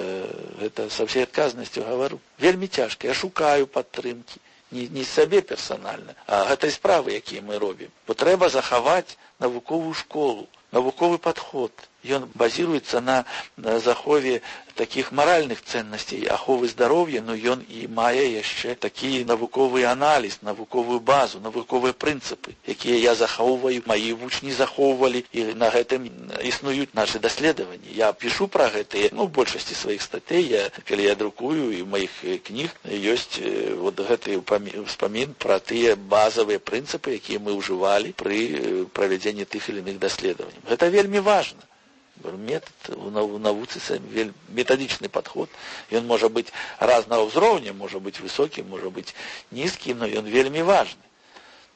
это со всей отказностью говорю. Вельмі цяжка. Я шукаю падтрымки. Не, не сабе персанальна, а гэтай справы, якія мы робім. Бо трэба захаваць навуковую школу, навуковы падход. Ён базируется на, на захове таких моральных ценностей, аховы здароўя, но ён і мае яшчэ такі навуковы анализ, навуковую базу, навуковыя прынцыпы, якія я захоўваю, мои вучні захоўвалі, і на гэтым існуюць наши даследаванні. Я пишу пра гэтыя, ну, в большасці сваіх статей, я, калі я друкую, і ў маіх кніг ёсць вот гэты ўспамін пра тыя базавыя прынцыпы, якія мы ўжывалі пры правядзенні тых или иных даследаванняў. Гэта вельмі важна. Метод в навуцы, методичный подход. И он может быть разного уровня, может быть высокий, может быть низкий, но он вельмі важный.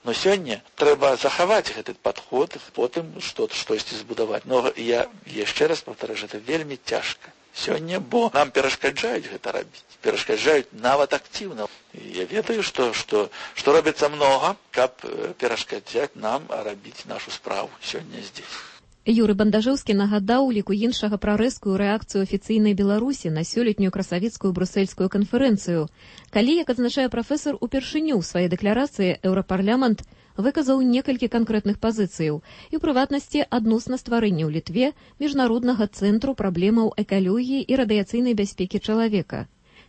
Но сегодня треба заховать этот подход, потом что-то, что-то збудовать. Но я еще раз повторяю, это вельмі тяжко. Сегодня, бо нам перешкаджают это робить. Перешкаджают нават активно. И я ведаю, что, что, что робится много, как перешкаджать нам робить нашу справу сегодня здесь. Юры Бандажэўскі нагадаў у ліку іншага пра рэзкую рэакцыю афіцыйнай Беларусі на сёлетнюю красавіцкую брусельскую канферэнцыю, калі, як адзначае прафесар, упершыню ў сваёй дэкларацыі Еўрапарламент выказаў некалькі канкрэтных пазіцыяў і, ў прыватнасці, адносна стварэння ў Літве міжнароднага цэнтру праблемаў экалогіі і радыяцыйнай бяспекі чалавека.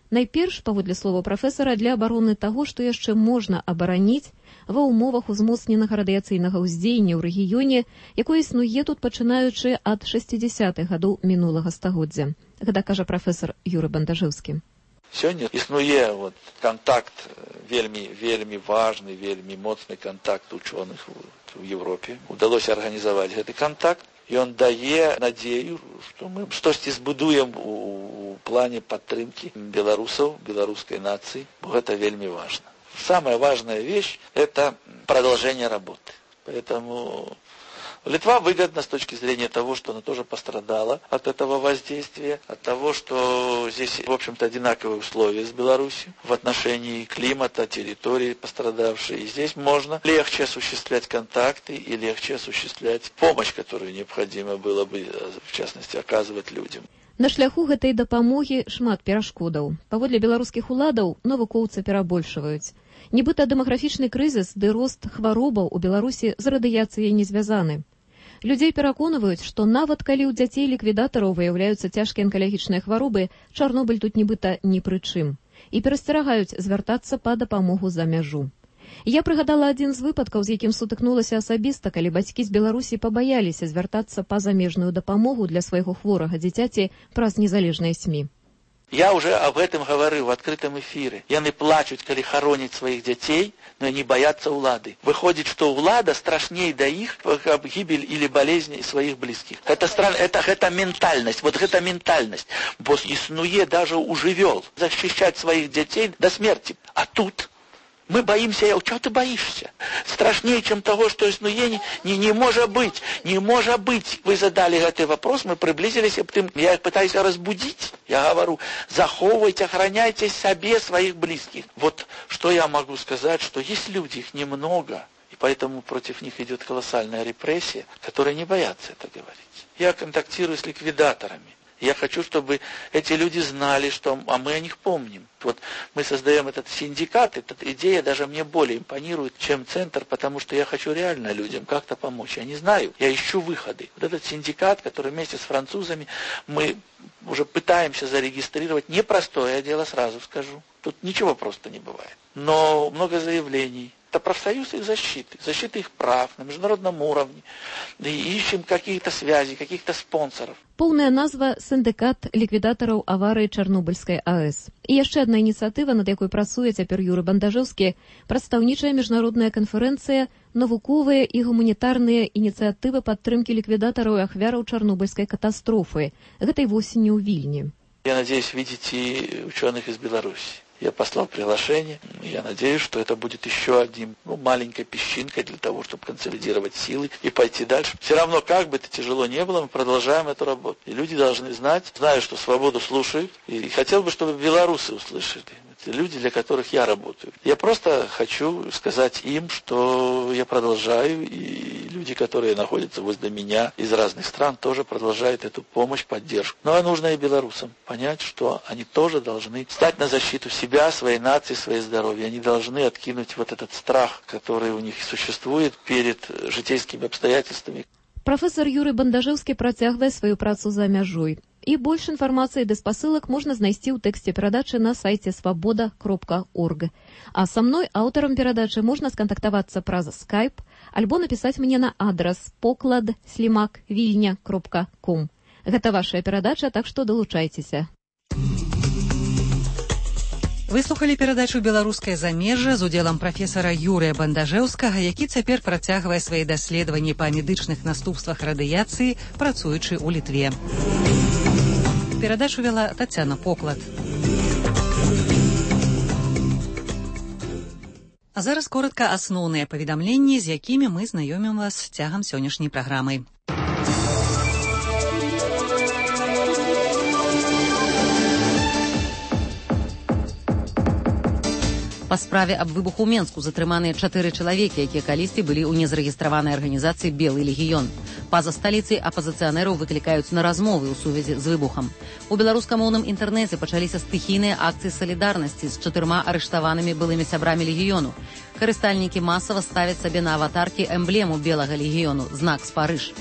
Найперш, паводле слова прафесара, для абароны таго, што яшчэ можна абараніць ва ўмовах узмоцненага радыяцыйнага ўздзеяння ў рэгіёне, якое існуе тут пачынаючы ад шэсцідзясятых гадоў мінулага стагоддзя. Гэта кажа прафесар Юры Бандажэўскі. Сёння існуе вот, контакт вельмі, вельмі важны, вельмі моцны контакт ученых в Европе. Удалося арганізаваць гэты контакт. И он дае надею, что мы что-то збудуем у, у плане поддержки белорусов, белорусской нации. Это вельми важно. Самая важная вещь – это продолжение работы. Поэтому Литва выгодна с точки зрения того, что она тоже пострадала от этого воздействия, от того, что здесь, в общем-то, одинаковые условия с Беларусью в отношении климата, территории пострадавшей. И здесь можно легче осуществлять контакты и легче осуществлять помощь, которую необходимо было бы, в частности, оказывать людям. На шляху гэтай дапамогі шмат перашкодаў. Паводле беларускіх уладаў навукоўцы перабольшваюць. Нібыта дэмаграфічны крызіс ды рост хваробаў у Беларусі з радыяцыяй не звязаны. Людзей пераконваюць, што нават калі ў дзяцей ліквідатараў выяўляюцца цяжкія анкалагічныя хваробы, Чарнобыль тут нібыта ні пры чым. І перасцерагаюць звяртацца па дапамогу за мяжу. Я прыгадала адзін з выпадкаў, з якім сутыкнулася асабіста, калі бацькі з Беларусі пабаяліся звяртацца па замежную дапамогу для свайго хворага дзіцяці праз незалежныя СМИ. Я уже об этом говорю в открытом эфире. Яны плачут, когда хоронят своих детей, но они боятся улады. Выходит, что улада страшнее до их об гибель или болезни своих близких. Это, стран... это, это ментальность, вот это ментальность. Бо иснуе даже у живёл защищать своих детей до смерти. А тут Мы боимся, чего ты боишься? Страшнее, чем того, что ну, не, не, не может быть, не может быть. Вы задали этот вопрос, мы приблизились, я пытаюсь разбудить. Я говорю, заховывайте, охраняйте себе своих близких. Вот что я могу сказать, что есть люди, их немного, и поэтому против них идет колоссальная репрессия, которые не боятся это говорить. Я контактирую с ликвидаторами. Я хочу, чтобы эти люди знали, что а мы о них помним. Вот мы создаем этот синдикат, эта идея даже мне более импонирует, чем центр, потому что я хочу реально людям как-то помочь. Я не знаю, я ищу выходы. Вот этот синдикат, который вместе с французами мы уже пытаемся зарегистрировать, непростое дело, сразу скажу. Тут ничего просто не бывает. Но много заявлений. Это профсоюз их защиты, защиты их прав на международном уровне. И ищем какие-то связи, каких-то спонсоров. Поўная назва сіндыкат ліквідатараў аварыі Чарнобыльскай АЭС. І яшчэ адна ініцыятыва, над якой працуе цяпер Юры Бандажэўскі, прадстаўнічая міжнародная канферэнцыя «Навуковыя і гуманітарныя ініцыятывы падтрымкі ліквідатараў і ахвяраў Чарнобыльскай катастрофы». Гэтай восенню ў Вільні. Я надеюсь видеть и ученых из Беларуси. Я послал приглашение. Я надеюсь, что это будет еще одним, ну, маленькой песчинкой для того, чтобы консолидировать силы и пойти дальше. Все равно, как бы это тяжело не было, мы продолжаем эту работу. И люди должны знать, знаю, что свободу слушают. И хотел бы, чтобы белорусы услышали. Это люди, для которых я работаю. Я просто хочу сказать им, что я продолжаю, и люди, которые находятся возле меня из разных стран, тоже продолжают эту помощь, поддержку. Но нужно и белорусам понять, что они тоже должны стать на защиту себя, своей нации, своей здоровья. Они должны откинуть вот этот страх, который у них существует перед житейскими обстоятельствами. Прафесор Юрый Бандажэўскі працягвае сваю працу за мяжой. І больш інфармацыі ды спасылак можна знайсці ў тэксце перадачы на сайце свабода кропка орг. А са мной, аўтарам перадачы, можна скантактавацца праз скайп альбо напісаць мне на адрас поклад слімак вільня кропка ком. Гэта вашая перадача, так што далучайцеся. Выслухалі перадачу «Беларускае замежжа» з удзелам прафесара Юрыя Бандажэўскага, які цяпер працягвае свае даследаванні па медычных наступствах радыяцыі, працуючы ў Літве. Перадачу вела Тацяна Поклад. А зараз коротка асноўныя паведамленні, з якімі мы знаёмім вас цягам сённяшняй праграмы. Па справе аб выбуху ў Менску затрыманыя чатыры чалавекі, якія калісьці былі ў незарэгістраванай арганізацыі «Белы легіён». Па-за сталіцай апазіцыянераў выклікаюць на размовы ў сувязі з выбухам. У беларускамоўным інтэрнэце пачаліся стыхійныя акцыі салідарнасці з чатырма арыштаванымі былымі сябрамі легіёну. Карыстальнікі масава ставяць сабе на аватаркі эмблему белага легіёну – знак Спарыж.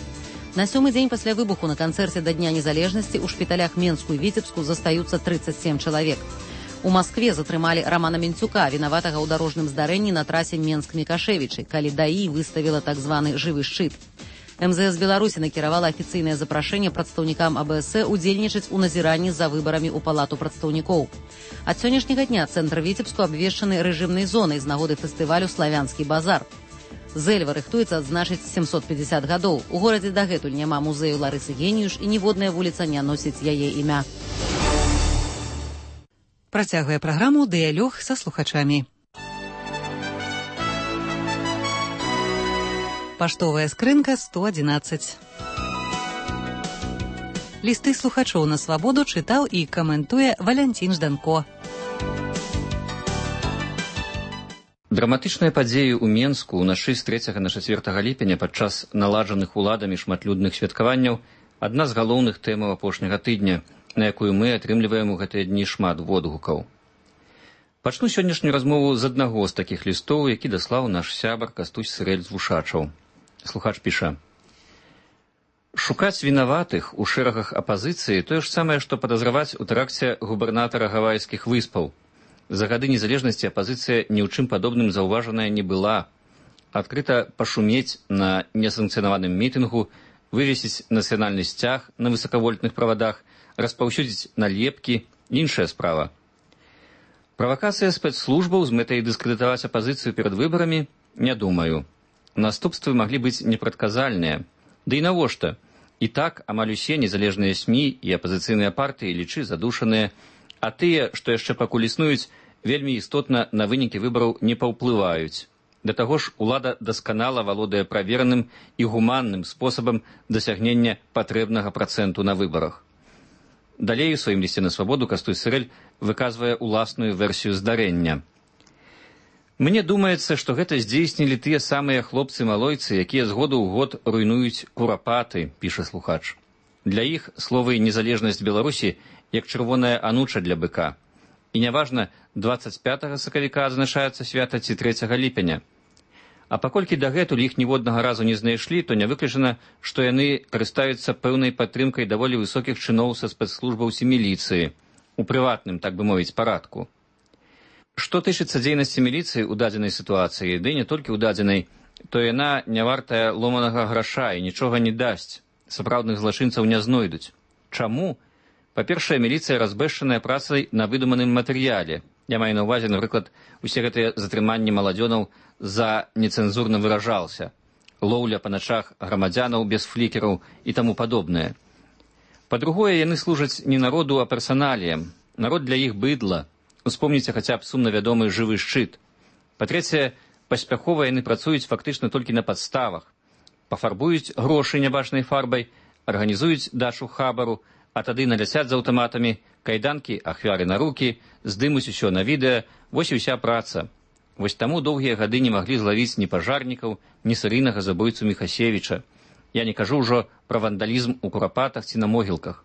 На сёмы дзень пасля выбуху на канцэрце да Дня незалежнасці ў шпіталях Менску і Віцебску застаюцца трыццаць сем чалавек. У Маскве затрымалі Рамана Менцюка, вінаватага ў дарожным здарэнні на трасе Менск-Мікашевічы, калі ДАІ выставіла так званы жывы шчыт. эм зэ эс Беларусі накіравала афіцыйнае запрашэнне прадстаўнікам а бэ эс э удзельнічаць у назіранні за выбарамі ў палату прадстаўнікоў. Ад сённяшняга дня цэнтр Віцебску абвешчаны рэжымнай зонай з нагоды фестывалю «Славянскі базар». Зэльва рыхтуецца адзначыць сямсот пятьдесят гадоў. У горадзе дагэтуль няма музею Ларысы Геніюш і ніводная вуліца не носіць яе імя. Працягвае праграму «Дыялог са слухачамі». Паштовая скрынка сто адзінаццаць. Лісты слухачоў на свабоду чытаў і каментуе Валянцін Жданко. Драматычныя падзеі ў Менску ўначы з трэцяга на чацвёртага ліпеня падчас наладжаных уладамі шматлюдных святкаванняў адна з галоўных тэмаў апошняга тыдня, на якую мы атрымліваем у гэтыя дні шмат водгукаў. Пачну сённяшнюю размову з аднаго з такіх лістоў, які даслаў наш сябар Кастусь Сырэль з Вушачаў. Слухач піша: «Шукаць вінаватых у шэрагах апазіцыі тое ж самае, што падазраваць у тэракце губернатара Гавайскіх выспаў. За гады незалежнасці апазіцыя ні ў чым падобным заўважаная не была. Адкрыта пашумець на несанкцыянаваным мітынгу, вывесіць нацыянальны сцяг на высакавольтных правадах, распаўсюдзіць налепкі – іншая справа. Правакацыя спецслужбаў з мэтай дыскрэдытаваць апазіцыю перад выбарамі – не думаю. Наступствы маглі быць непрадказальныя. Да і навошта? І так амаль усе незалежныя СМІ і апазіцыйныя партыі лічы задушаныя, а тыя, што яшчэ пакуль існуюць, вельмі істотна на вынікі выбараў не паўплываюць. Да таго ж, улада дасканала валодае правераным і гуманным спосабам дасягнення патрэбнага працэнту на выбарах. Далей у сваім лісце на свабоду Кастусь Сырэль выказвае уласную версію здарэння. Мне думаецца, што гэта здзейснілі тыя самыя хлопцы-малойцы, якія з году ў год руйнуюць курапаты, піша слухач. Для іх словы «незалежнасць Беларусі» як чырвоная ануча для быка. І няважна, дваццаць пятага сакавіка адзначаецца свята ці трэцяга ліпеня. А паколькі дагэтуль іх ніводнага разу не знайшлі, то не выключана, што яны карыстаюцца пэўнай падтрымкай даволі высокіх чыноў са спецслужбаў ці міліцыі, у прыватным, так бы мовіць, парадку. Што тычыцца дзейнасці міліцыі ў дадзенай сітуацыі, ды не толькі ў дадзенай, то яна не вартая ломанага граша і нічога не дасць, сапраўдных злачынцаў не знойдуць. Чаму? Па-першае, міліцыя разбэшчаная працай на выдуманым матэрыяле. Я маю на ўвазе, напрыклад, усе гэтыя затрыманні маладзёнаў за нецэнзурна выражался, лоўля па начах грамадзянаў без флікераў і таму падобнае. Па-другое, яны служаць не народу, а персаналіям. Народ для іх быдла. Успомніце хаця б сумна вядомы жывы шчыт. Па-трэцяе, паспяхова яны працуюць фактычна толькі на падставах. Пафарбуюць грошы нябачнай фарбай, арганізуюць дачу хабару, а тады наляцяць з аўтаматамі, кайданкі ахвяры на рукі, здымуць усё на відэа, вось і ўся праца. Вось таму доўгія гады не маглі злавіць ні пажарнікаў, ні серыйнага забойцу Міхасевіча. Я не кажу ўжо пра вандалізм у курапатах ці на могілках.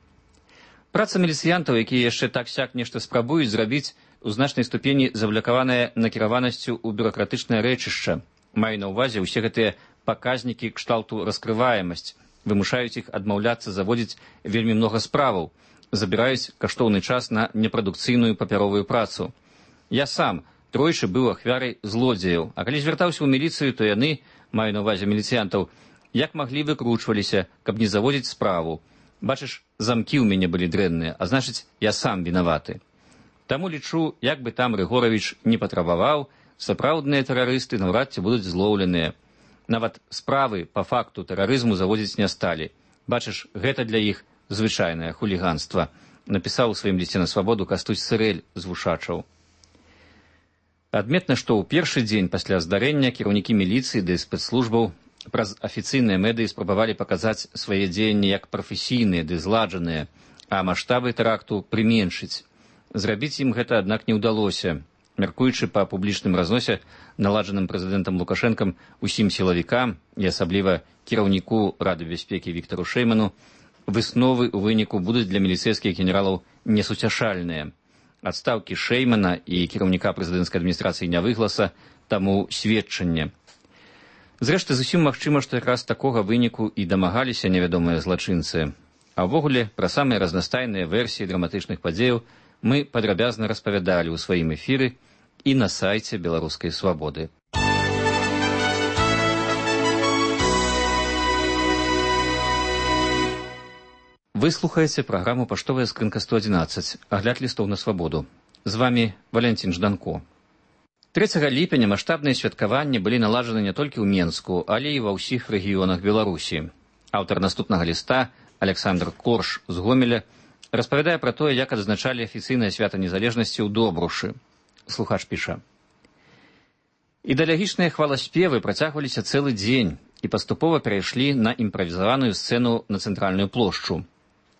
Праца міліцыянтаў, якія яшчэ так-сяк нешта спрабуюць зрабіць, у значнай ступені завлякаваная накіраванасцю ў бюракратычнае рэчышча. Маю на ўвазе ўсе гэтыя паказнікі кшталту раскрываемасць, вымушаюць іх адмаўляцца заводзіць вельмі многа справаў, забіраюць каштоўны час на непрадукцыйную папяровую працу. Я сам тройчы быў ахвярай злодзеяў, а калі звяртаўся ў міліцыю, то яны, маю на ўвазе міліцыянтаў, як маглі выкручваліся, каб не заводзіць справу. Бачыш, замкі ў мяне былі дрэнныя, а значыць, я сам вінаваты. Таму лічу, як бы там Рыгоравіч не патрабаваў, сапраўдныя тэрарысты наўрад ці будуць злоўленыя. Нават справы па факту тэрарызму заводзіць не сталі. Бачыш, гэта для іх звычайнае хуліганства, напісаў у сваім лісце на свабоду Кастусь Сырэль з Вушачаў. Адметна, што ў першы дзень пасля здарэння кіраўнікі міліцыі ды спецслужбаў праз афіцыйныя медыі спрабавалі паказаць свае дзеянні як прафесійныя ды зладжаныя, а маштабы тэракту прыменшыць. Зрабіць ім гэта, аднак, не ўдалося. Мяркуючы па публічным разносе, наладжаным прэзідэнтам Лукашэнкам усім сілавікам і асабліва кіраўніку Рады бяспекі Віктару Шэйману, высновы ў выніку будуць для міліцэйскіх генералаў несуцяшальныя. Адстаўкі Шэймана і кіраўніка прэзідэнцкай адміністрацыі Нявыгласа таму сведчанне. Зрэшты, зусім магчыма, што якраз такога выніку і дамагаліся невядомыя злачынцы. А ўвогуле, пра самыя разнастайныя версіі драматычных падзеяў мы падрабязна распавядалі ў сваім эфіры і на сайце Беларускай свабоды. Вы слухаеце праграму «Паштовая скрынка сто адзінаццаць», агляд лістоў на свабоду. З вамі Валянцін Жданко. трэцяга ліпеня маштабныя святкаванні былі наладжаны не толькі ў Менску, але і ва ўсіх рэгіёнах Беларусі. Аўтар наступнага ліста, Александр Корш з Гомеля, распавядае пра тое, як адзначалі афіцыйнае свята незалежнасці ў Добрушы. Слухач піша. Ідэалагічныя хваласпевы працягваліся цэлы дзень і паступова перайшлі на імправізаваную сцэну на цэнтральную плошчу.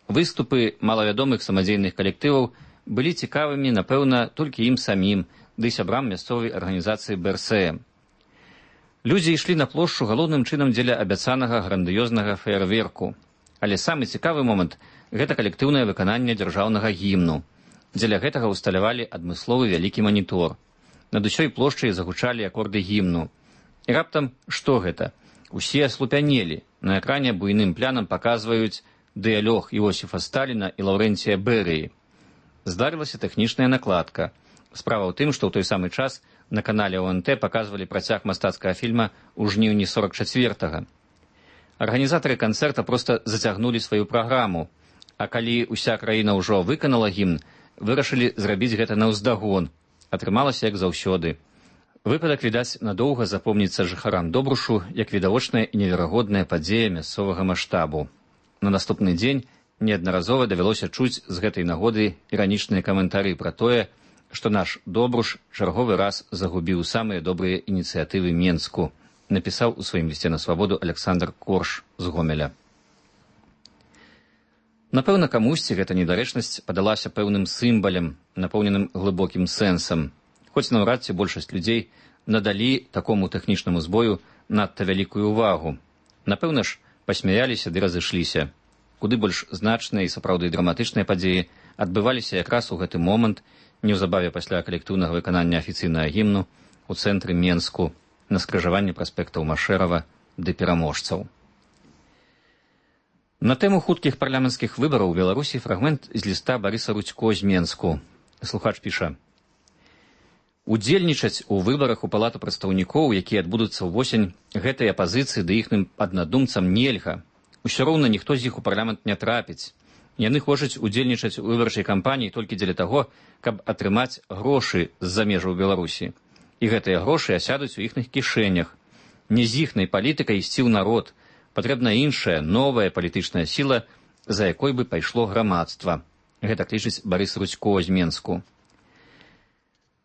Выступы малавядомых самадзейных калектываў былі цікавымі, напэўна, толькі ім самім, ды сябрам мясцовай арганізацыі Бэ Эр Сэ Эм. Людзі ішлі на плошчу галоўным чынам дзеля абяцанага грандыёзнага феерверку. Але самы цікавы момант – гэта калектыўнае выкананне дзяржаўнага гімну. Дзеля гэтага ўсталявалі адмысловы вялікі манітор. Над усёй плошчай загучалі акорды гімну. І раптам што гэта? Усе аслупянелі. На экране буйным плянам паказваюць дыялог Іосіфа Сталіна і Лаўрэнція Берыі. Здарылася тэхнічная накладка. Справа ў тым, што ў той самы час на канале О Эн Тэ паказвалі працяг мастацкага фільма ў жніўні сорак чацвёртага. Арганізатары канцэрта проста зацягнулі сваю праграму, а калі ўся краіна ўжо выканала гімн, вырашылі зрабіць гэта наўздагон. Атрымалася як заўсёды. Выпадак, відаць, надоўга запомніцца жыхарам Добрушу як відавочная і неверагодная падзея мясцовага маштабу. На наступны дзень неаднаразова давялося чуць з гэтай нагоды іранічныя каментары пра тое, што наш Добруш чарговы раз загубіў самыя добрыя ініцыятывы Менску, напісаў у сваім лісце на свабоду Александр Корш з Гомеля. Напэўна, камусьці гэта недарэчнасць падалася пэўным сімвалем, напоўненым глыбокім сэнсам, хоць наўрад ці большасць людзей надалі такому тэхнічнаму збою надта вялікую ўвагу. Напэўна ж, пасмяяліся ды разышліся. Куды больш значныя і сапраўды драматычныя падзеі адбываліся якраз у гэты момант, неўзабаве пасля калектыўнага выканання афіцыйнага гімну у цэнтры Менску на скрыжаванні праспектаў Машэрава ды пераможцаў. На тэму хуткіх парламенцкіх выбараў у Беларусі фрагмент з ліста Барыса Рудзько з Менску. Слухач піша: «Удзельнічаць у выбарах у палату прадстаўнікоў, якія адбудуцца ўвосень, гэтай апазіцыі ды іхным аднадумцам нельга. Усё роўна ніхто з іх у парламент не трапіць. Яны хочуць удзельнічаць у выбарчай кампаніі толькі дзеля таго, каб атрымаць грошы з-за межаў Беларусі. І гэтыя грошы асядуць у іхных кішэнях. Не з іхнай палітыкай ісці ў народ. Патрэбна іншая, новая палітычная сіла, за якой бы пайшло грамадства». Гэта лічыць Барыс Рудзько з Менску.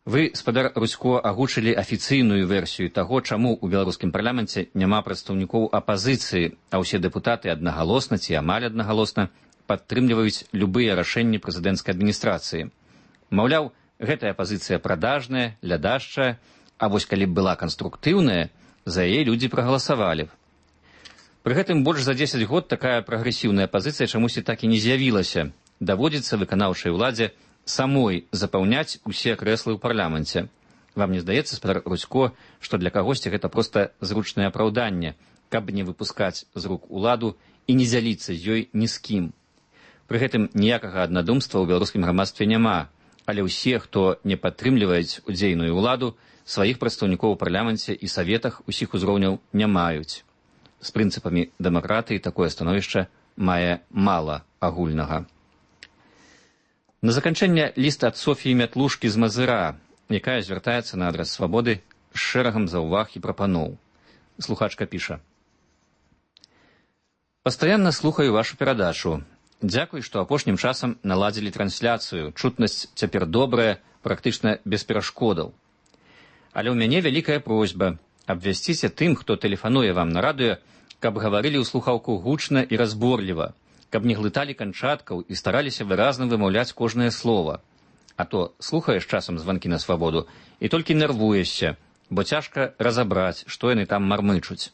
Вы, спадар Рудзько, агучылі афіцыйную версію таго, чаму ў беларускім парламенце няма прадстаўнікоў апазіцыі, а ўсе дэпутаты аднагалосна ці амаль аднагалосна падтрымліваюць любыя рашэнні прэзідэнцкай адміністрацыі. Маўляў, гэтая апазіцыя прадажная, лядашчая, а вось калі б была канструктыўная, за яе людзі прагаласавалі б. Пры гэтым больш за дзесяць год такая прагрэсіўная апазіцыя чамусьці так і не з'явілася. Даводзіцца выканаўчай уладзе самой запаўняць усе крэслы ў парламенце. Вам не здаецца, спадар Рудзько, што для кагосьці гэта проста зручнае апраўданне, каб не выпускаць з рук уладу і не дзяліцца з ёй ні з кім. Пры гэтым ніякага аднадумства ў беларускім грамадстве няма, але ўсе, хто не падтрымліваюць удзейную ўладу, сваіх прадстаўнікоў у парламенце і саветах усіх узроўняў не маюць. З прынцыпамі дэмакратыі такое становішча мае мала агульнага. На заканчэнне ліст ад Софіі Мятлушкі з Мазыра, якая звяртаецца на адрас свабоды з шэрагам заўваг і прапаноў. Слухачка піша: «Пастаянна слухаю вашу перадачу. Дзякуй, што апошнім часам наладзілі трансляцыю. Чутнасць цяпер добрая, практычна без перашкодаў. Але ў мяне вялікая просьба. Абвясціце тым, хто тэлефануе вам на радыё, каб гаварылі ў слухаўку гучна і разборліва, каб не глыталі канчаткаў і стараліся выразна вымаўляць кожнае слова. А то слухаеш часам званкі на свабоду і толькі нервуешся, бо цяжка разабраць, што яны там мармычуць.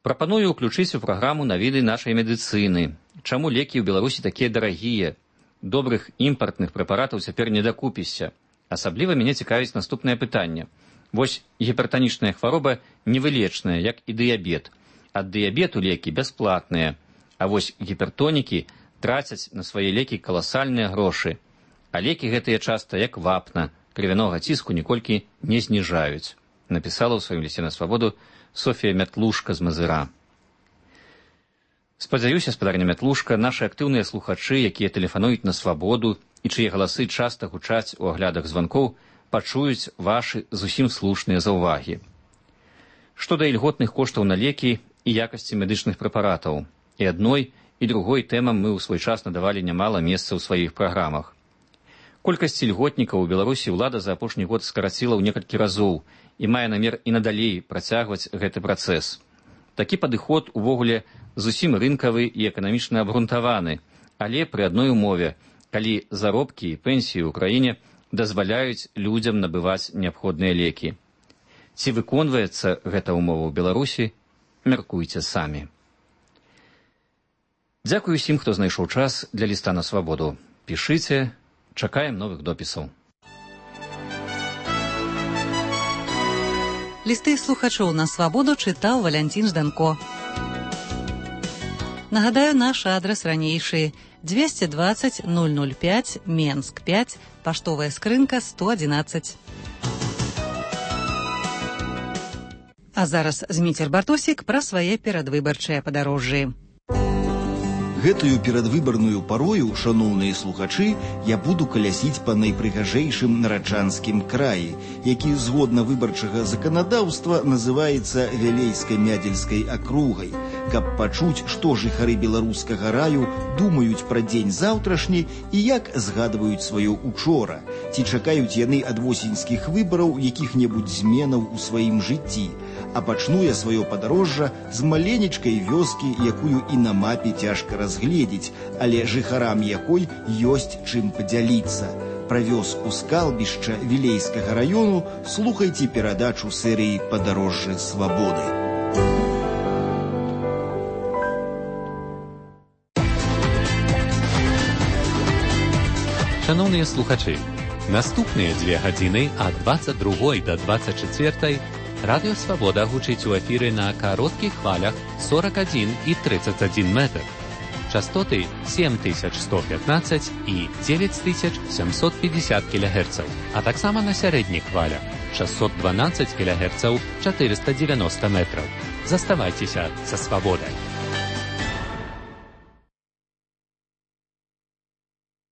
Прапаную ўключыць у праграму навіды нашай медыцыны. Чаму лекі ў Беларусі такія дарагія? Добрых імпартных прэпаратаў цяпер не дакупішся. Асабліва мяне цікавіць наступнае пытанне. Вось гіпертанічная хвароба невылечная, як і дыябет. Ад дыябету лекі бясплатныя, а вось гіпертонікі трацяць на свае лекі каласальныя грошы. А лекі гэтыя часта, як вапна, крывянога ціску ніколькі не зніжаюць. Напісала ў сваім лісце на свабоду Софія Мятлушка з Мазыра. Спадзяюся, спадарня Мятлушка, нашы актыўныя слухачы, якія тэлефануюць на свабоду і чые галасы часта гучаць у аглядах званкоў, пачуюць вашы зусім слушныя заўвагі. Што да ільготных коштаў на лекі і якасці медычных прэпаратаў. І адной, і другой тэмам мы ў свой час надавалі нямала месца ў сваіх праграмах. Колькасць ільготнікаў у Беларусі ўлада за апошні год скараціла ў некалькі разоў і мае намер і надалей працягваць гэты працэс. Такі падыход увогуле зусім рынкавы і эканамічна абгрунтаваны, але пры адной умове, калі заробкі і пенсіі ў краіне дазваляюць людзям набываць неабходныя лекі. Ці выконваецца гэта ўмова ў Беларусі, мяркуйце самі. Дзякуй усім, хто знайшоў час для ліста на свабоду. Пішыце, чакаем новых допісаў. Лісты слухачоў на свабоду чытаў Валянцін Жданко. Нагадаю, наш адрас ранейшы: двести двадцать ноль ноль пять, Менск пять, паштовая скрынка сто одиннадцать. А зараз Зміцер Бартосік пра свае перадвыбарчыя падарожжы. Гэтую перадвыбарную парою, шаноўныя слухачы, я буду калясіць па найпрыгажэйшым нараджанскім краі, які згодна выбарчага заканадаўства называецца Вялейска-Мядзельскай акругай, каб пачуць, што жыхары беларускага раю думаюць пра дзень заўтрашні і як згадваюць сваё учора. Ці чакаюць яны ад восеньскіх выбараў якіх-небудзь зменаў у сваім жыцці. А пачну я сваё падарожжа з маленечкай вёскі, якую і на мапе цяжка разгледзець, але жыхарам якой ёсць чым падзяліцца. Пра вёску Скалбішча Вілейскага раёну слухайце перадачу серыі «Падарожжы свабоды». Шановныя слухачы, наступныя дзве гадзіны ад дваццаць другой да дваццаць чацвёртай Радыё Свабода гучыць у эфіры на кароткіх хвалях сорок адзін і тридцать адзін метр. Частоты сем тысяч сто пятнадцать і девять тысяч семьсот пятьдесят килогерцаў, а таксама на сярэдніх хвалях шестьсот двенадцать килогерцаў, четыреста девяносто метров. Заставайцеся са Свабодай.